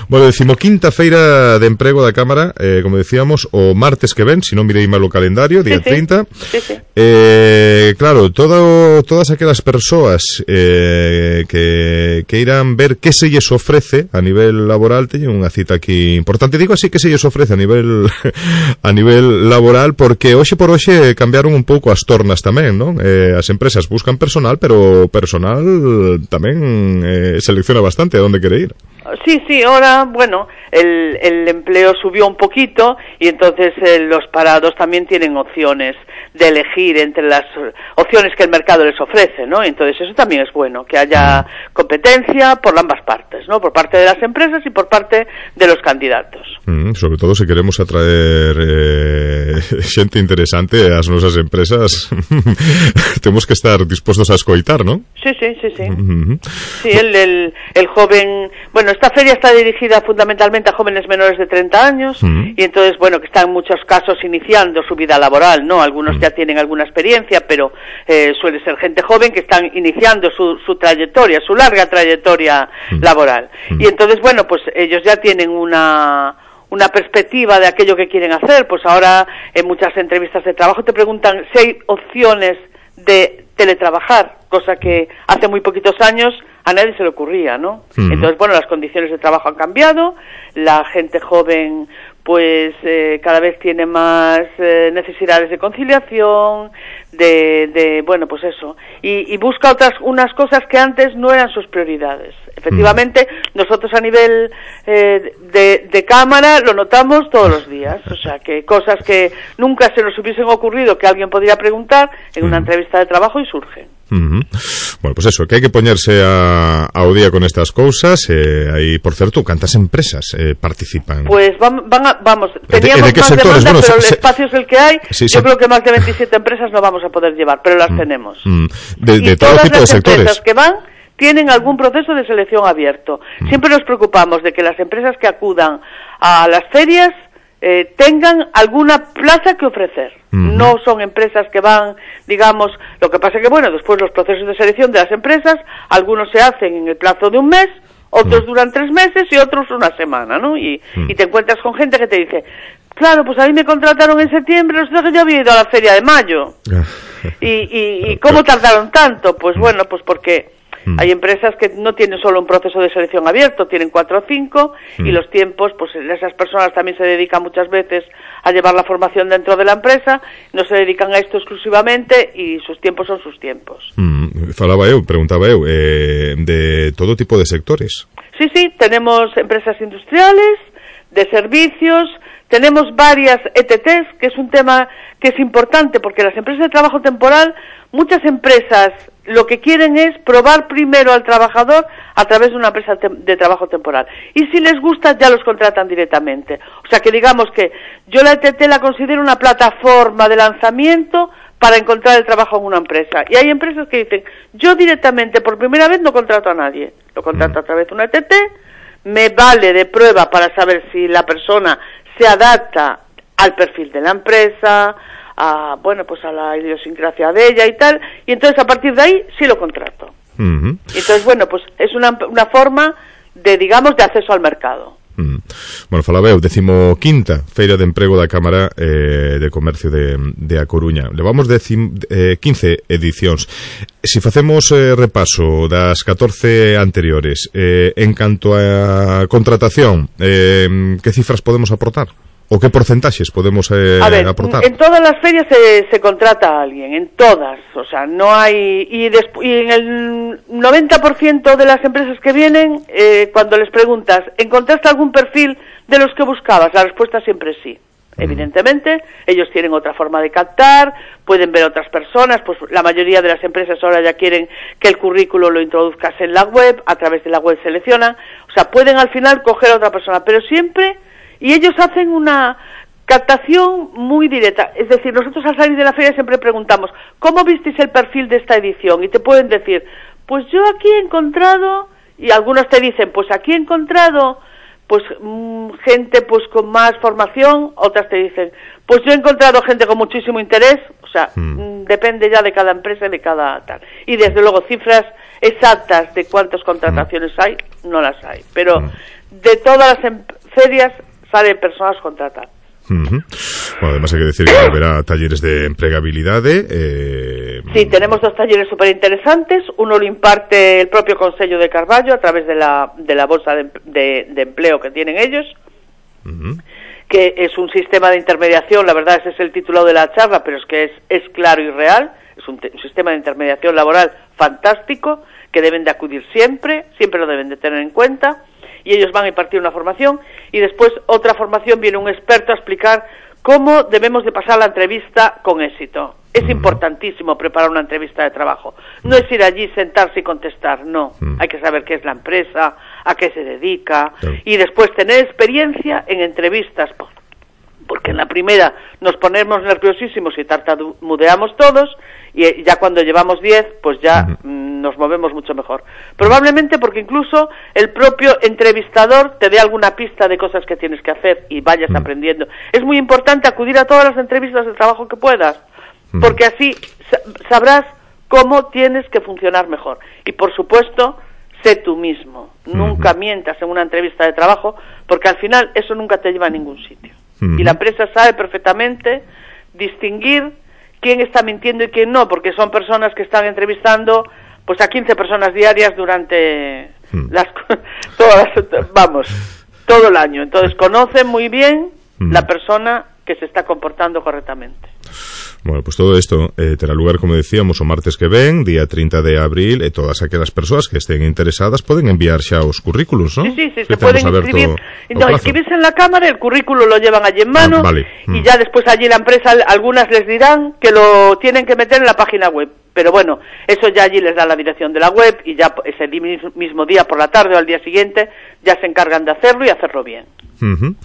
Bueno, decimoquinta feira de emprego da Cámara, eh, como decíamos, o martes que ven, se non mirei mal o calendario, día sí, trinta. Sí, sí. Eh, claro, todo, todas aquelas persoas eh, que, que irán ver que se lles ofrece a nivel laboral, teñen unha cita aquí importante. Digo así, que se lles ofrece a nivel a nivel laboral, porque hoxe por hoxe cambiaron un pouco as tornas tamén, non? Eh, as empresas buscan personal, pero personal tamén eh, selecciona bastante a dónde quiere ir. Sí, sí, ahora, bueno, el, el empleo subió un poquito y entonces eh, los parados también tienen opciones de elegir entre las opciones que el mercado les ofrece, ¿no? Entonces eso también es bueno, que haya competencia por ambas partes, ¿no? Por parte de las empresas y por parte de los candidatos. Mm, sobre todo si queremos atraer eh, xente interesante ás nosas empresas, temos que estar dispostos a escoitar, ¿no? Sí, sí, sí, sí. Mm-hmm. Sí, el, el, el joven, bueno, bueno, esta feria está dirigida fundamentalmente a jóvenes menores de treinta años mm. y entonces, bueno, que están en muchos casos iniciando su vida laboral, ¿no? Algunos mm. ya tienen alguna experiencia, pero eh, suele ser gente joven que están iniciando su, su trayectoria, su larga trayectoria mm. laboral. Mm. Y entonces, bueno, pues ellos ya tienen una... una perspectiva de aquello que quieren hacer. Pues ahora en muchas entrevistas de trabajo te preguntan si hay opciones de teletrabajar, cosa que hace muy poquitos años a nadie se le ocurría, ¿no? Uh-huh. Entonces, bueno, las condiciones de trabajo han cambiado, la gente joven pues eh, cada vez tiene más eh, necesidades de conciliación, de, de bueno, pues eso, y, y busca otras unas cosas que antes no eran sus prioridades. Efectivamente, mm. nosotros a nivel eh, de, de cámara lo notamos todos los días, o sea, que cosas que nunca se nos hubiesen ocurrido que alguien podría preguntar en una mm. entrevista de trabajo y surgen. Uh-huh. Bueno, pues eso, que hai que poñerse a, ao día con estas cousas. Eh, aí, por certo, cantas empresas eh, participan? Pues van, van a, vamos, teníamos ¿De, de más sectores? demanda, Bueno, pero se, el espacio es el que hay. Sí, yo sí. creo que más de veintisiete empresas no vamos a poder llevar, pero las mm. tenemos. Mm. De, de y todo todas tipo las de sectores. empresas que van tienen algún proceso de selección abierto. Mm. Siempre nos preocupamos de que las empresas que acudan a las ferias Eh, tengan alguna plaza que ofrecer. Uh-huh. No son empresas que van, digamos, lo que pasa que, bueno, después los procesos de selección de las empresas, algunos se hacen en el plazo de un mes, otros uh-huh. duran tres meses y otros una semana, ¿no? Y, uh-huh. y te encuentras con gente que te dice, claro, pues a mí me contrataron en septiembre, resulta que yo había ido a la feria de mayo. y, y, ¿Y cómo tardaron tanto? Pues bueno, pues porque Mm. hay empresas que no tienen solo un proceso de selección abierto, tienen cuatro o cinco mm. y los tiempos, pues esas personas también se dedican muchas veces a llevar la formación dentro de la empresa, no se dedican a esto exclusivamente y sus tiempos son sus tiempos. Mm. Falaba eu, preguntaba eu, eh, de todo tipo de sectores. Sí, sí, tenemos empresas industriales, de servicios, tenemos varias E T Ts, que es un tema que es importante porque las empresas de trabajo temporal, muchas empresas lo que quieren es probar primero al trabajador a través de una empresa de trabajo temporal. Y si les gusta, ya los contratan directamente. O sea que digamos que yo la E T T la considero una plataforma de lanzamiento para encontrar el trabajo en una empresa. Y hay empresas que dicen, yo directamente por primera vez no contrato a nadie. Lo contrato a través de una E T T, me vale de prueba para saber si la persona se adapta al perfil de la empresa, a, bueno, pues a la idiosincrasia de ella y tal, y entonces a partir de ahí sí lo contrato. Uh-huh. Entonces, bueno, pues es una, una forma de, digamos, de acceso al mercado. Mm. Bueno, falaba eu, decimoquinta Feira de Emprego da Cámara eh, de Comercio de, de A Coruña. Levamos decim, eh, quince edicións. Se facemos eh, repaso das catorce anteriores, eh, en canto a contratación, eh, que cifras podemos aportar? ¿O qué porcentaxes podemos eh, a ver, aportar? En todas las ferias se, se contrata a alguien, en todas, o sea, no hay... Y, despu- y en el noventa por ciento de las empresas que vienen, eh, cuando les preguntas, ¿encontraste algún perfil de los que buscabas? La respuesta siempre es sí. Mm. Evidentemente, ellos tienen otra forma de captar, pueden ver otras personas, pues la mayoría de las empresas ahora ya quieren que el currículo lo introduzcas en la web, a través de la web seleccionan, o sea, pueden al final coger a otra persona, pero siempre... Y ellos hacen una captación muy directa. Es decir, nosotros al salir de la feria siempre preguntamos, ¿cómo visteis el perfil de esta edición? Y te pueden decir, pues yo aquí he encontrado, y algunos te dicen, pues aquí he encontrado pues mmm, gente pues con más formación, otras te dicen, pues yo he encontrado gente con muchísimo interés, o sea, mm. depende ya de cada empresa y de cada tal. Y desde luego cifras exactas de cuántas contrataciones mm. hay, no las hay. Pero mm. de todas las em- ferias salen personas contratadas. Uh-huh. Bueno, además hay que decir que habrá talleres de empregabilidade. Eh... Sí, tenemos dos talleres súper interesantes. Uno lo imparte el propio Consello de Carballo a través de la, de la bolsa de, de, de empleo que tienen ellos, uh-huh. que es un sistema de intermediación. La verdad, ese es el título de la charla, pero es que es, es claro y real. Es un, te- un sistema de intermediación laboral fantástico que deben de acudir siempre, siempre lo deben de tener en cuenta. Y ellos van a impartir una formación y después otra formación viene un experto a explicar cómo debemos de pasar la entrevista con éxito. Es importantísimo preparar una entrevista de trabajo. No es ir allí, sentarse y contestar, no. Hay que saber qué es la empresa, a qué se dedica y después tener experiencia en entrevistas, por, porque en la primera nos ponemos nerviosísimos y tartamudeamos todos, y ya cuando llevamos diez, pues ya uh-huh. mm, nos movemos mucho mejor. Probablemente porque incluso el propio entrevistador te dé alguna pista de cosas que tienes que hacer y vayas uh-huh. aprendiendo. Es muy importante acudir a todas las entrevistas de trabajo que puedas, uh-huh. porque así sabrás cómo tienes que funcionar mejor. Y por supuesto, sé tú mismo. Uh-huh. Nunca mientas en una entrevista de trabajo, porque al final eso nunca te lleva a ningún sitio. Uh-huh. Y la empresa sabe perfectamente distinguir quién está mintiendo y quién no, porque son personas que están entrevistando pues a quince personas diarias durante uh-huh. las todas vamos, todo el año. Entonces conocen muy bien uh-huh. la persona que se está comportando correctamente. Bueno, pues todo esto eh, terá lugar, como decíamos, o martes que ven, día trinta de abril, e todas aquelas persoas que estén interesadas poden enviar xa os currículos, ¿no? Sí, sí, sí, se pueden inscribir. No, inscribirse en la cámara, el currículo lo llevan allí en mano, ah, vale. y mm. ya después allí la empresa, algunas les dirán que lo tienen que meter en la página web. Pero bueno, eso ya allí les da la dirección de la web, y ya ese mismo día por la tarde o al día siguiente ya se encargan de hacerlo y hacerlo bien. Uh-huh.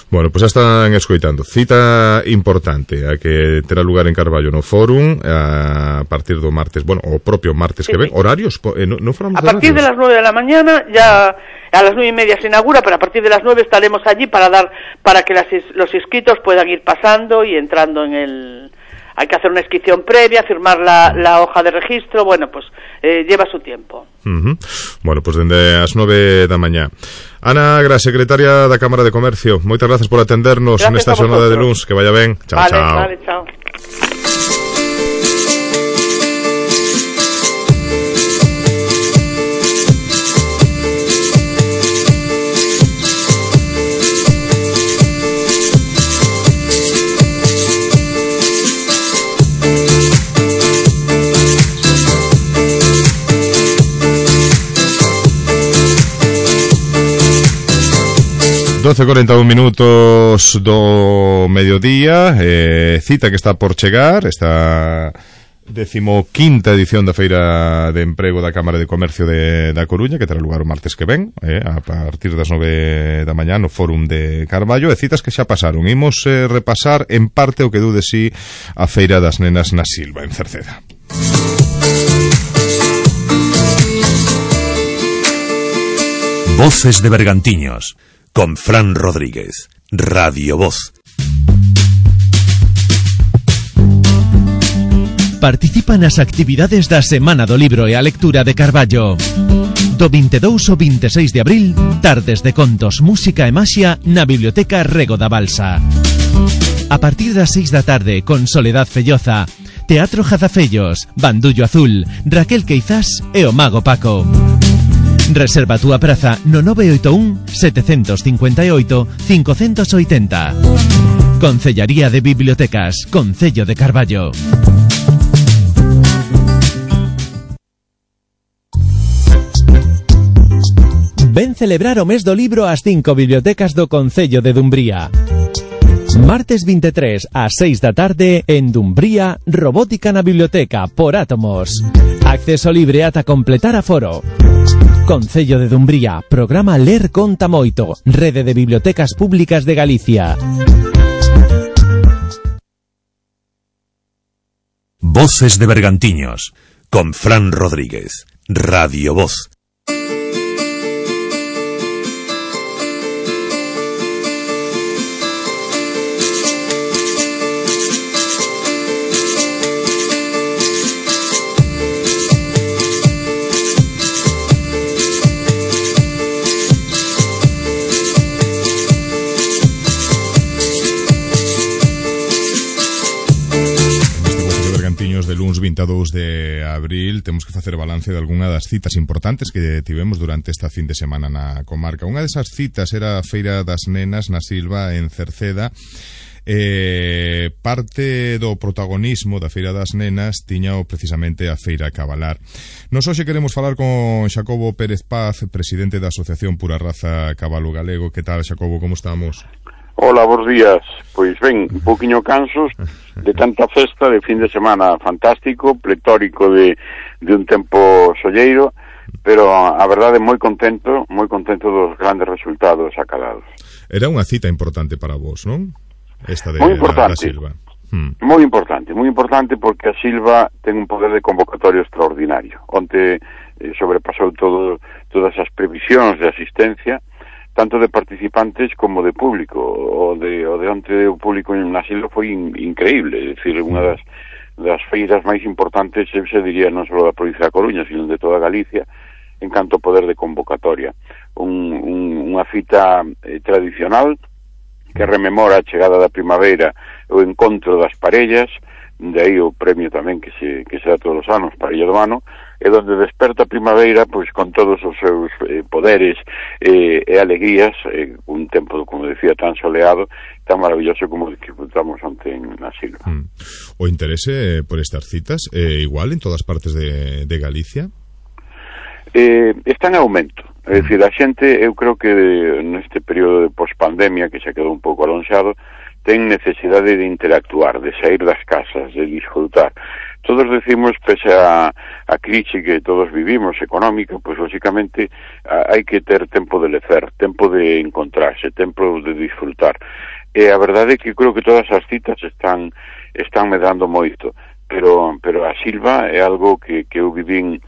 Bueno, pues xa están escoitando. Cita importante a que terá lugar en Carballo no Fórum a partir do martes, bueno, o propio martes sí, que ven. Sí. Horarios? Eh, no, no a partir de las nueve de la mañana, ya a las nueve y media se inaugura, pero a partir de las nueve estaremos allí para dar para que las, los inscritos puedan ir pasando y entrando en el... Hay que hacer una inscripción previa, firmar la, la hoja de registro, bueno, pues eh, lleva su tiempo. Uh-huh. Bueno, pues dende as nove da mañá. Ana Gra, secretaria da Cámara de Comercio, moitas grazas por atendernos gracias nesta xornada de luns, que vaya ben. Chao, vale, chao. Vale, chao. doce e cuarenta e un minutos do mediodía, eh, cita que está por chegar, esta decimoquinta edición da Feira de Emprego da Cámara de Comercio de, da Coruña, que terá lugar o martes que ven, eh, a partir das nove da mañá no Fórum de Carballo, e citas que xa pasaron. Imos eh, repasar en parte o que dú de si a Feira das Nenas na Silva, en Cerceda. Voces de Bergantiños con Fran Rodríguez, Radio Voz. Participa nas actividades da Semana do Libro e a Lectura de Carballo. Do vinte e dous ao vinte e seis de abril, tardes de contos, música e maxia na Biblioteca Rego da Balsa. A partir das seis da tarde, con Soledad Felloza, Teatro Jazafellos, Bandullo Azul, Raquel Queizás e o Mago Paco. Reserva a túa praza no nove oito un sete cinco oito cinco oito oito. Concellaría de Bibliotecas, Concello de Carballo. Ven celebrar o mes do libro ás cinco bibliotecas do Concello de Dumbría. Martes vinte e tres ás seis da tarde en Dumbría, Robótica na Biblioteca por Átomos. Acceso libre ata completar aforo. Concello de Dumbría, programa Ler Conta Moito, Rede de Bibliotecas Públicas de Galicia. Voces de Bergantiños, con Fran Rodríguez, Radio Voz. De luns vinte e dous de abril temos que facer balance de algunha das citas importantes que tivemos durante esta fin de semana na comarca. Unha desas citas era a Feira das Nenas na Silva en Cerceda. Eh, parte do protagonismo da Feira das Nenas tiñao precisamente a Feira Cabalar. Nos hoxe queremos falar con Xacobo Pérez Paz, presidente da Asociación Pura Raza Cabalo Galego. Que tal, Xacobo, como estamos? Hola, bons días. Pois ben, un poquinho cansos de tanta festa de fin de semana fantástico, pletórico de, de un tempo solleiro, pero a verdade moi contento, moi contento dos grandes resultados acadados. Era unha cita importante para vos, non? esta de, moi importante. da, da Silva. Hmm. Moi importante, moi importante porque a Silva ten un poder de convocatorio extraordinario. Onte eh, sobrepasou todo, todas as previsións de asistencia, tanto de participantes como de público. O de, o de onte o público na Silva foi in, increíble, é dicir, unha das, das feiras máis importantes, se diría, non só da provincia da Coruña, sino de toda Galicia, en canto ao poder de convocatoria. Un, un, unha cita eh, tradicional que rememora a chegada da primavera, o encontro das parellas, de aí o premio tamén que se, que se dá todos os anos, Parella do Ano, e donde desperta a primavera pois con todos os seus eh, poderes eh, e alegrías, eh, un tempo, como decía, tan soleado, tan maravilloso como disfrutamos onte na Silva. Mm. O interese por estas citas é eh, igual en todas partes de, de Galicia? Eh, está en aumento. É dicir, a xente, eu creo que neste período de pospandemia, que se quedou un pouco alonxado, ten necesidade de interactuar, de sair das casas, de disfrutar. Todos decimos, pese a, a crise que todos vivimos económica, pois lógicamente hai que ter tempo de lecer, tempo de encontrarse, tempo de disfrutar. E a verdade é que creo que todas as citas están están medrando moito, pero pero a Silva é algo que, que eu vivín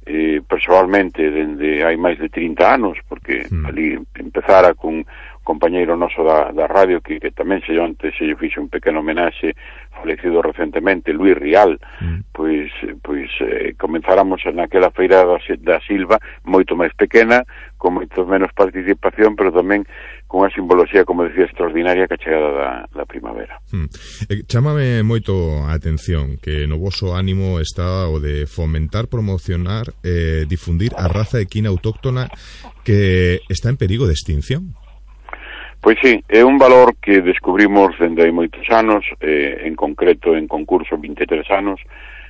eh, personalmente dende hai máis de trinta anos, porque mm. ali empezara cun compañeiro noso da, da radio que, que tamén se antes se lle fixe un pequeno homenaxe, falecido recentemente, Luis Rial, mm. pois pois eh, comenzáramos naquela feira da, da Silva moito máis pequena, con moito menos participación, pero tamén con unha simboloxía, como decía, extraordinaria que a chegada da, da primavera. Mm. Eh, chámame moito a atención que no voso ánimo está o de fomentar, promocionar, eh, difundir a raza equina autóctona que está en perigo de extinción. Pois sí, é un valor que descubrimos dende hai moitos anos, eh, en concreto en concurso vinte e tres anos,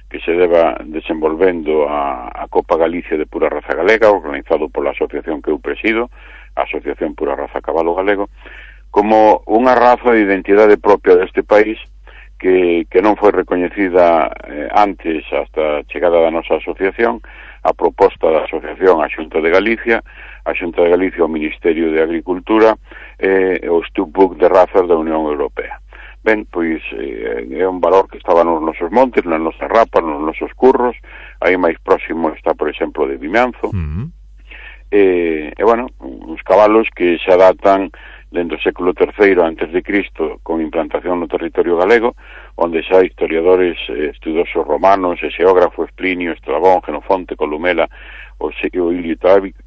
que se deba desenvolvendo a, a Copa Galicia de Pura Raza Galega, organizado pola asociación que eu presido, a Asociación Pura Raza Cabalo Galego, como unha raza de identidade propia deste país que, que non foi recoñecida eh, antes hasta a chegada da nosa asociación, a proposta da asociación a Xunta de Galicia, a Xunta de Galicia ao Ministerio de Agricultura e eh, o Stupbook de razas da Unión Europea. Ben, pois eh, é un valor que estaba nos nosos montes, nas nosas rapas, nos nosos curros, aí máis próximo está, por exemplo, de Vimianzo, mm-hmm. e, e, bueno, uns cabalos que se adaptan dentro do século terceiro antes de Cristo con implantación no territorio galego, onde xa historiadores, eh, estudiosos romanos, xeógrafos, Plinio, Estrabón, Xenofonte, Columela, o, o Ilio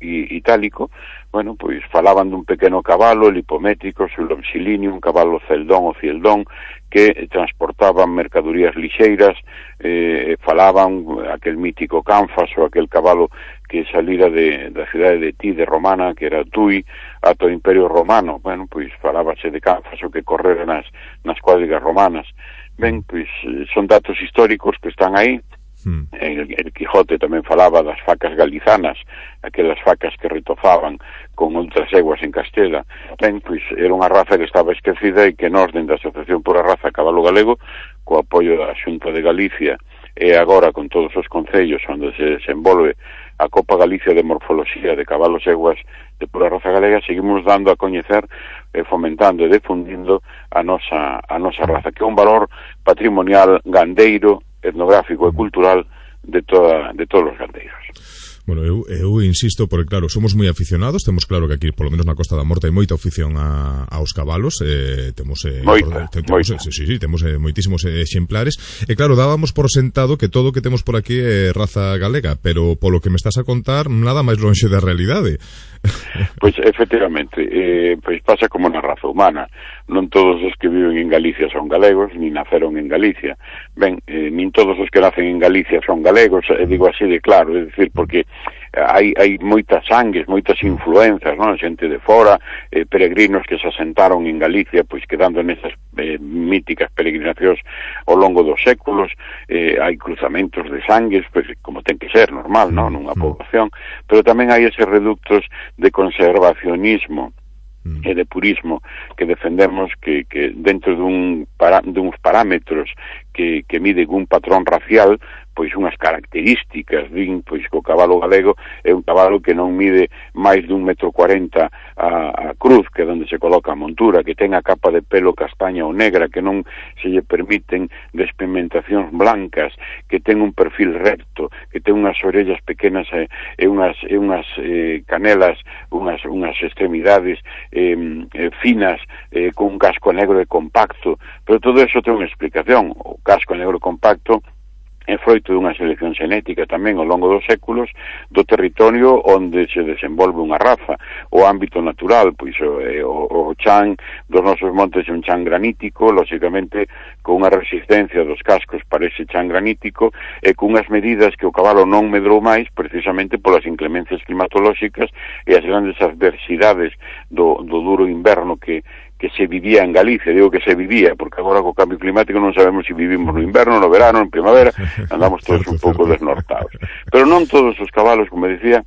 Itálico, bueno, pois falaban dun pequeno cabalo, el hipométrico, o Longilinium, un cabalo celdón ou cieldón, que transportaban mercadorías lixeiras, eh, falaban aquel mítico Canfas, ou aquel cabalo que salira de, da cidade de Tide romana, que era Tui, ata o Imperio Romano. Bueno, pois falábase de Canfas, o que correra nas, nas cuadrigas romanas. Ben, pois son datos históricos que están aí. Hmm. El, el Quijote tamén falaba das facas galizanas, aquelas facas que retozaban con outras eguas en Castela. Ben, pois era unha raza que estaba esquecida e que nós, dentro da Asociación Pura Raza Cabalo Galego, co apoio da Xunta de Galicia e agora con todos os concellos onde se desenvolve a Copa Galicia de Morfoloxía de Cabalos Eguas de Pura Raza Galega, seguimos dando a coñecer e fomentando e difundindo a nosa, a nosa raza, que é un valor patrimonial gandeiro, etnográfico e cultural de toda de todos os gandeiros. Bueno, eu, eu insisto, porque claro, somos moi aficionados, temos claro que aquí, por lo menos na Costa da Morte, hai moita afición a, aos cabalos, eh, temos, eh, moita, por, temos moita. Sí, sí, sí, temos eh, moitísimos exemplares, e claro, dábamos por sentado que todo o que temos por aquí é raza galega, pero polo que me estás a contar, nada máis lonxe da realidade. Pois, efectivamente, eh, pois pasa como na raza humana. Non todos os que viven en Galicia son galegos, ni naceron en Galicia. Ben, eh, nin todos os que nacen en Galicia son galegos, eh, digo así de claro, é dicir, porque hai, hai moitas sangues, moitas influenzas, non? Xente de fora, eh, peregrinos que se asentaron en Galicia, pois quedando nesas eh, míticas peregrinacións ao longo dos séculos, eh, hai cruzamentos de sangues, pois como ten que ser, normal, non? Nunha poboación, pero tamén hai eses reductos de conservacionismo e de purismo que defendemos que, que dentro dun para, duns parámetros que, que miden un patrón racial, pois unhas características, din, pois que o cabalo galego é un cabalo que non mide máis de un metro cuarenta a, a cruz, que é onde se coloca a montura, que ten a capa de pelo castaña ou negra, que non se lle permiten despigmentacións blancas, que ten un perfil recto, que ten unhas orellas pequenas e, e unhas, e unhas eh, canelas, unhas, unhas extremidades eh, eh, finas, eh, con un casco negro e compacto, pero todo eso ten unha explicación. O casco negro compacto é froito dunha selección xenética tamén ao longo dos séculos do territorio onde se desenvolve unha raza, o ámbito natural, pois o, o, o chan dos nosos montes é un chan granítico, lóxicamente con unha resistencia dos cascos para ese chan granítico e con unhas medidas que o cabalo non medrou máis precisamente polas inclemencias climatolóxicas e as grandes adversidades do, do duro inverno que que se vivía en Galicia, digo que se vivía, porque agora co cambio climático non sabemos se vivimos no inverno, no verano, en primavera, andamos todos un pouco desnortados. Pero non todos os cabalos, como decía,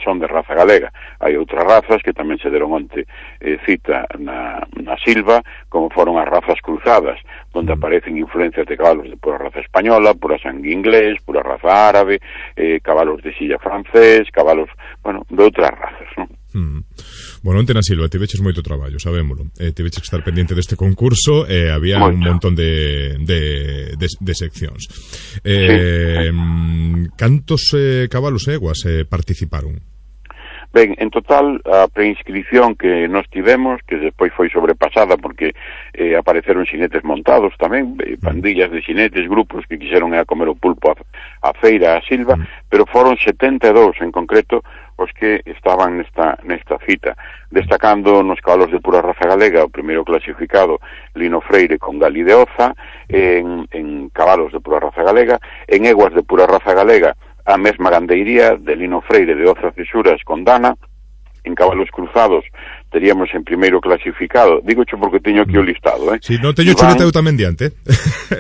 son de raza galega. Hai outras razas que tamén se deron onte eh, cita na, na Silva, como foron as razas cruzadas, onde aparecen influencias de cabalos de pura raza española, pura sangue inglés, pura raza árabe, eh, cabalos de silla francés, cabalos, bueno, de outras razas, non? Mm. Bueno, onte na Silva tiveches moito traballo, sabémolo. Eh, tiveches que estar pendiente deste concurso e eh, había moito. Un montón de, de, de, de seccións. Eh, sí. Cantos eh, cabalos e eguas eh, participaron? Ben, en total, a preinscripción que nos tivemos, que despois foi sobrepasada porque eh, apareceron xinetes montados tamén, eh, pandillas de xinetes, grupos que quixeron ir a comer o pulpo a, a feira, a Silva, mm. pero foron setenta e dous en concreto os que estaban nesta, nesta cita, destacando nos cabalos de pura raza galega, o primeiro clasificado, Lino Freire con Gali de Oza, en, en cabalos de pura raza galega, en eguas de pura raza galega, a mesma gandeiría de Lino Freire de Oza Cesuras con Dana, en cabalos cruzados teríamos en primeiro clasificado, digo cho porque teño aquí o listado, eh? Si, non teño chuleta eu tamén diante.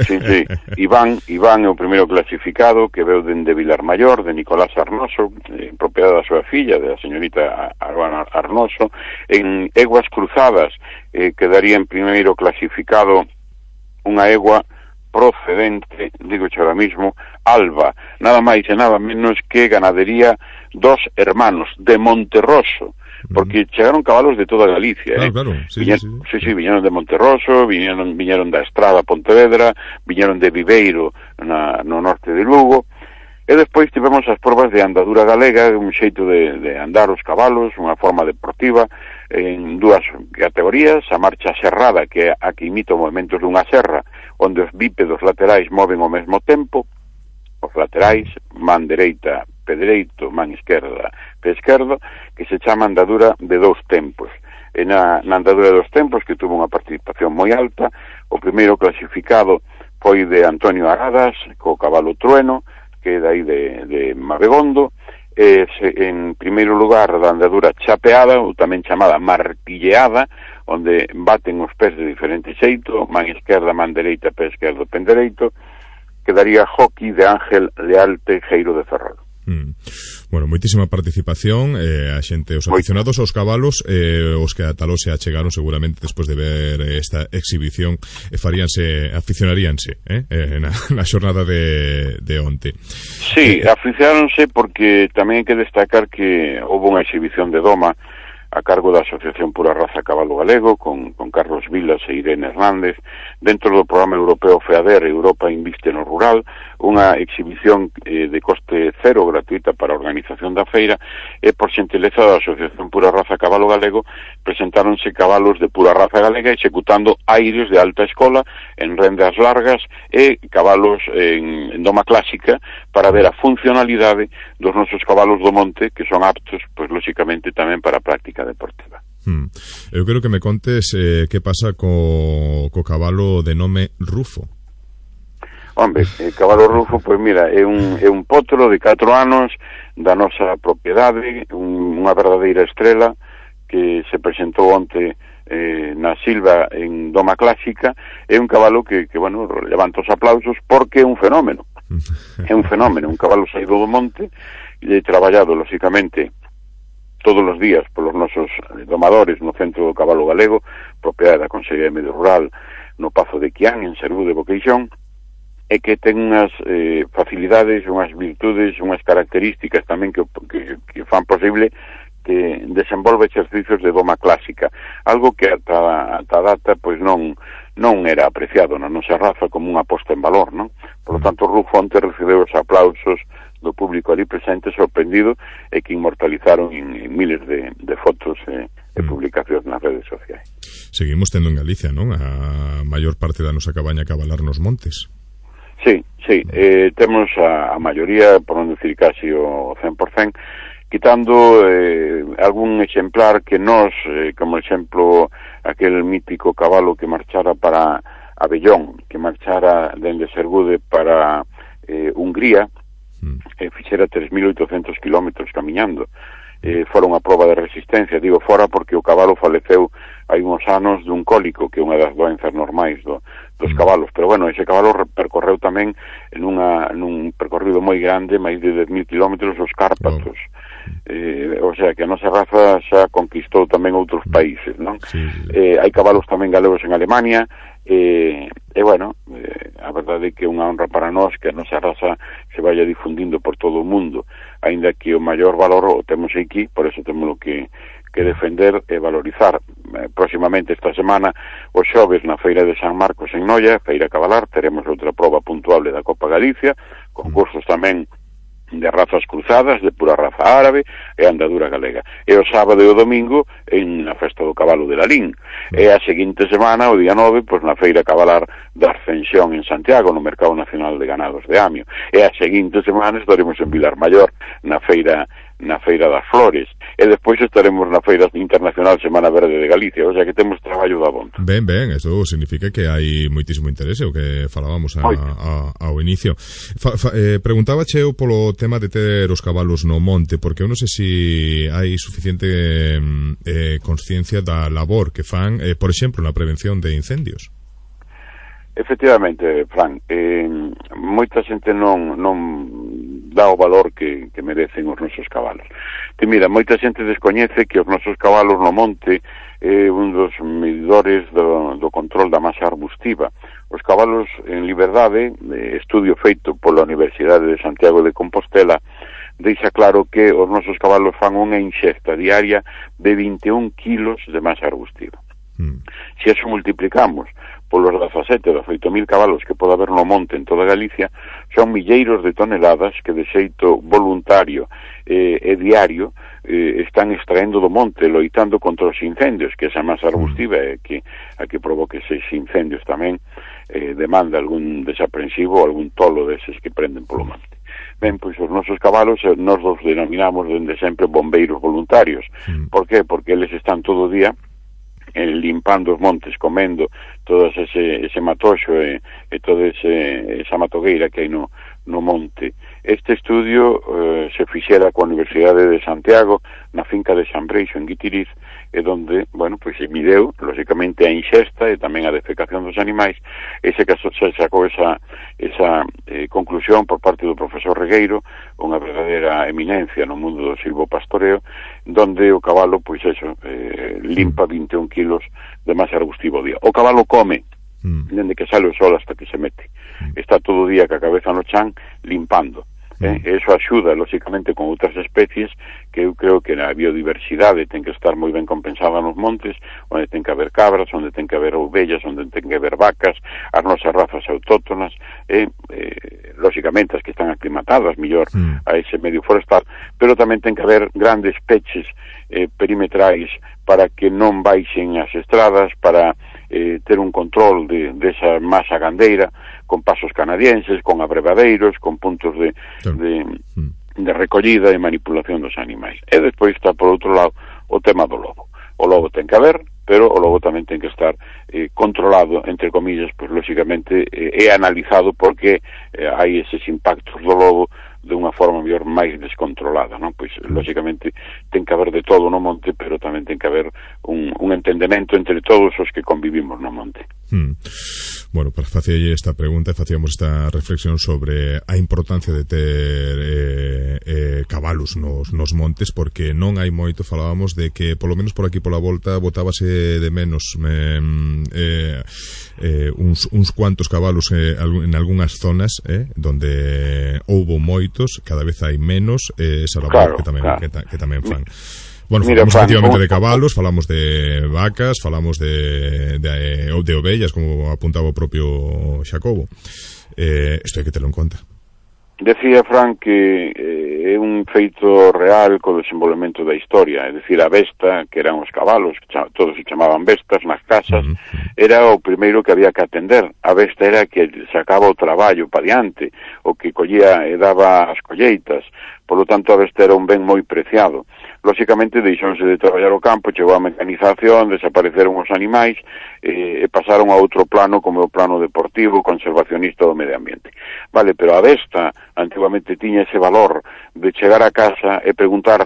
Sí, sí, Iván, Iván é o primeiro clasificado, que veu dende Vilar Maior, de Nicolás Arnoso, en propiedade da súa filla, da señorita Arbana Arnoso. En eguas cruzadas eh, quedaría en primeiro clasificado unha egua procedente, digo cho ahora mismo, Alba, nada máis e nada menos que ganadería Dos Hermanos, de Monterroso, porque chegaron cabalos de toda Galicia, claro, eh? claro, sí, Viñer, sí, sí, sí, viñeron de Monterroso, viñeron, viñeron da Estrada Pontevedra, viñeron de Viveiro na, no norte de Lugo, e despois tivemos as probas de andadura galega, un xeito de, de andar os cabalos, unha forma deportiva, en dúas categorías, a marcha serrada, que é a que imita os movimentos dunha serra, onde os bípedos laterais moven ao mesmo tempo, os laterais, man dereita, pé dereito, man esquerda, pé esquerdo, que se chama andadura de dous tempos. E na, na andadura de dous tempos, que tuvo unha participación moi alta, o primeiro clasificado foi de Antonio Aradas, co cabalo Trueno, que é dai de, de Mabegondo, e se, en primeiro lugar da andadura chapeada, ou tamén chamada martilleada, onde baten os pés de diferente xeito, man esquerda, man dereita, pé esquerdo, pé dereito, quedaría hockey de Ángel Leal Teijeiro de Ferrol. Mm. Bueno, moitísima participación, eh, a xente, os aficionados aos cabalos, eh, os que ata se achegaron seguramente despois de ver esta exhibición, e faríanse, aficionaríanse eh, eh, na, na xornada de, de onte. Sí, eh, aficionaronse porque tamén hai que destacar que houve unha exhibición de doma a cargo da Asociación Pura Raza Cabalo Galego, con, con Carlos Vilas e Irene Hernández, dentro do programa europeo FEADER, Europa Inviste no Rural, unha exhibición eh, de coste cero gratuita para a organización da feira, e por xentileza da Asociación Pura Raza Cabalo Galego presentáronse cabalos de pura raza galega executando aires de alta escola en rendas largas e cabalos en, en doma clásica para ver a funcionalidade dos nosos cabalos do monte, que son aptos, pois, lóxicamente, tamén para a práctica deportiva. Hmm. Eu quero que me contes eh, que pasa co, co cabalo de nome Rufo. Hombre, el cabalo Rufo, pois mira, é un, é un potro de catro anos da nosa propiedade, un, unha verdadeira estrela que se presentou onte eh, na Silva en doma clásica. É un cabalo que, que bueno, levanta os aplausos porque é un fenómeno. É un fenómeno, un cabalo saído do monte e traballado, lóxicamente, todos os días polos nosos domadores no Centro do Cabalo Galego, propiedade da Consellería de Medio Rural, no Pazo de Quián, en Serú de Boqueixón, e que ten unhas eh, facilidades, unhas virtudes, unhas características tamén que, que, que fan posible que desenvolve exercicios de doma clásica, algo que ata, ata data pois non non era apreciado na nosa raza como unha posta en valor, non? Por lo tanto, Ruth Fonte recibeu os aplausos do público ali presente, sorprendido, e que inmortalizaron en, en miles de, de fotos e, e publicacións nas redes sociais. Seguimos tendo en Galicia, non? A maior parte da nosa cabaña a cabalar nos montes. Sí, sí, eh, temos a, a maioría, por non decir casi o cen por cento, quitando eh, algún exemplar que nos, eh, como exemplo, aquel mítico cabalo que marchara para Abellón, que marchara dende Sergude para eh, Hungría, mm. e fixera tres mil oitocentos kilómetros camiñando. Eh, fora unha prova de resistencia, digo fora porque o cabalo faleceu hai uns anos dun cólico, que é unha das doenzas normais do, dos cabalos, pero bueno, ese cabalo percorreu tamén en unha, nun percorrido moi grande, máis de dez mil kilómetros, os Cárpatos. Oh. Eh, o sea, que a nosa raza xa conquistou tamén outros países, non? Sí, sí. Eh, hai cabalos tamén galegos en Alemania, e, e bueno, eh, a verdade é que é unha honra para nós que a nosa raza se vaya difundindo por todo o mundo, aínda que o maior valor o temos aquí, por eso temos que, que defender e valorizar. Eh, próximamente esta semana, os xoves na Feira de San Marcos en Noia, Feira Cabalar, teremos outra proba puntuable da Copa Galicia, concursos tamén de razas cruzadas, de pura raza árabe e andadura galega. E o sábado e o domingo en a festa do cabalo de Lalín. E a seguinte semana, o día nove, pois na Feira Cabalar da Ascensión en Santiago, no Mercado Nacional de Ganados de Amio. E a seguinte semana estaremos en Vilar Maior, na Feira na Feira das Flores, e despois estaremos na Feira Internacional Semana Verde de Galicia, o sea que temos traballo da bonta. Ben, ben, eso significa que hai moitísimo interese, o que falábamos a, a, ao inicio. Fa, fa, eh, preguntaba cheo polo tema de ter os cabalos no monte, porque eu non sei se si hai suficiente eh, consciencia da labor que fan, eh, por exemplo, na prevención de incendios. Efectivamente, Fran, eh, moita xente non, non dá o valor que, que merecen os nosos cabalos. Que mira, moita xente descoñece que os nosos cabalos no monte é eh, un dos medidores do, do control da masa arbustiva. Os cabalos en liberdade, eh, estudio feito pola Universidade de Santiago de Compostela, deixa claro que os nosos cabalos fan unha inxesta diaria de vinte e un kilos de masa arbustiva. Mm. Se eso multiplicamos polos dezasete, dezoito mil cabalos que pode haber no monte en toda Galicia, son milleiros de toneladas que de xeito voluntario eh, e diario eh, están extraendo do monte, loitando contra os incendios, que esa masa arbustiva é que a que provoque eses incendios tamén eh, demanda algún desaprensivo, algún tolo deses que prenden polo monte. Ben, pois os nosos cabalos nos os denominamos dende sempre bombeiros voluntarios. Mm. Por qué? Porque eles están todo o día eh, limpando os montes, comendo todo ese, ese matoxo e, e toda ese, esa matogueira que hai no, no monte. Este estudio eh, se fixera coa Universidade de Santiago na finca de San Breixo en Guitiriz, e donde, bueno, pois se mideu, lógicamente, a inxesta e tamén a defecación dos animais, e se, se sacou esa, esa eh, conclusión por parte do profesor Regueiro, unha verdadeira eminencia no mundo do silvopastoreo, donde o cabalo, pois eso, eh, limpa vinte e un kilos de masa arbustiva ao día. O cabalo come, mm. dende que sale o sol hasta que se mete. Está todo o día ca cabeza no chan limpando. Eh, eso axuda, lógicamente, con outras especies que eu creo que a biodiversidade ten que estar moi ben compensada nos montes, onde ten que haber cabras, onde ten que haber ovellas, onde ten que haber vacas, as nosas razas autóctonas, e, eh, lógicamente, as que están aclimatadas mellor mm. a ese medio forestal, pero tamén ten que haber grandes peches eh, perimetrais para que non baixen as estradas, para eh, ter un control de, de esa masa gandeira, con pasos canadienses, con abrevadeiros, con puntos de, de, de recollida e manipulación dos animais. E despois está, por outro lado, o tema do lobo. O lobo ten que haber, pero o lobo tamén ten que estar eh, controlado, entre comillas, pois, lógicamente, eh, é analizado porque eh, hai eses impactos do lobo de unha forma mellor máis descontrolada, non? Pois, lógicamente, ten que haber de todo no monte, pero tamén ten que haber un, un entendemento entre todos os que convivimos no monte. Hmm. Bueno, para facerlle esta pregunta facíamos esta reflexión sobre a importancia de ter eh, eh, cabalos nos, nos montes, porque non hai moito, falábamos de que polo menos por aquí pola volta botábase de menos eh, eh, eh, uns, uns cuantos cabalos eh, en algunhas zonas eh, donde houbo moitos, cada vez hai menos, eh, esa labor claro, que tamén, claro. que, ta, que tamén fan. Bueno, Mira, falamos Fran, efectivamente un... de cabalos, falamos de vacas, falamos de, de, de ovellas, como apuntaba o propio Xacobo. Eh, isto hai que terlo en conta. Decía Fran que eh, é un feito real co desenvolvemento da historia, é dicir, a besta, que eran os cabalos, que todos se chamaban bestas nas casas, uh -huh. era o primeiro que había que atender. A besta era que sacaba o traballo pa diante, o que collía e daba as colleitas. Por lo tanto, a besta era un ben moi preciado. Lóxicamente, deixónse de traballar o campo, chegou a mecanización, desapareceron os animais eh, e pasaron a outro plano, como o plano deportivo, conservacionista do medio ambiente. Vale, pero a besta, antiguamente, tiña ese valor de chegar a casa e preguntar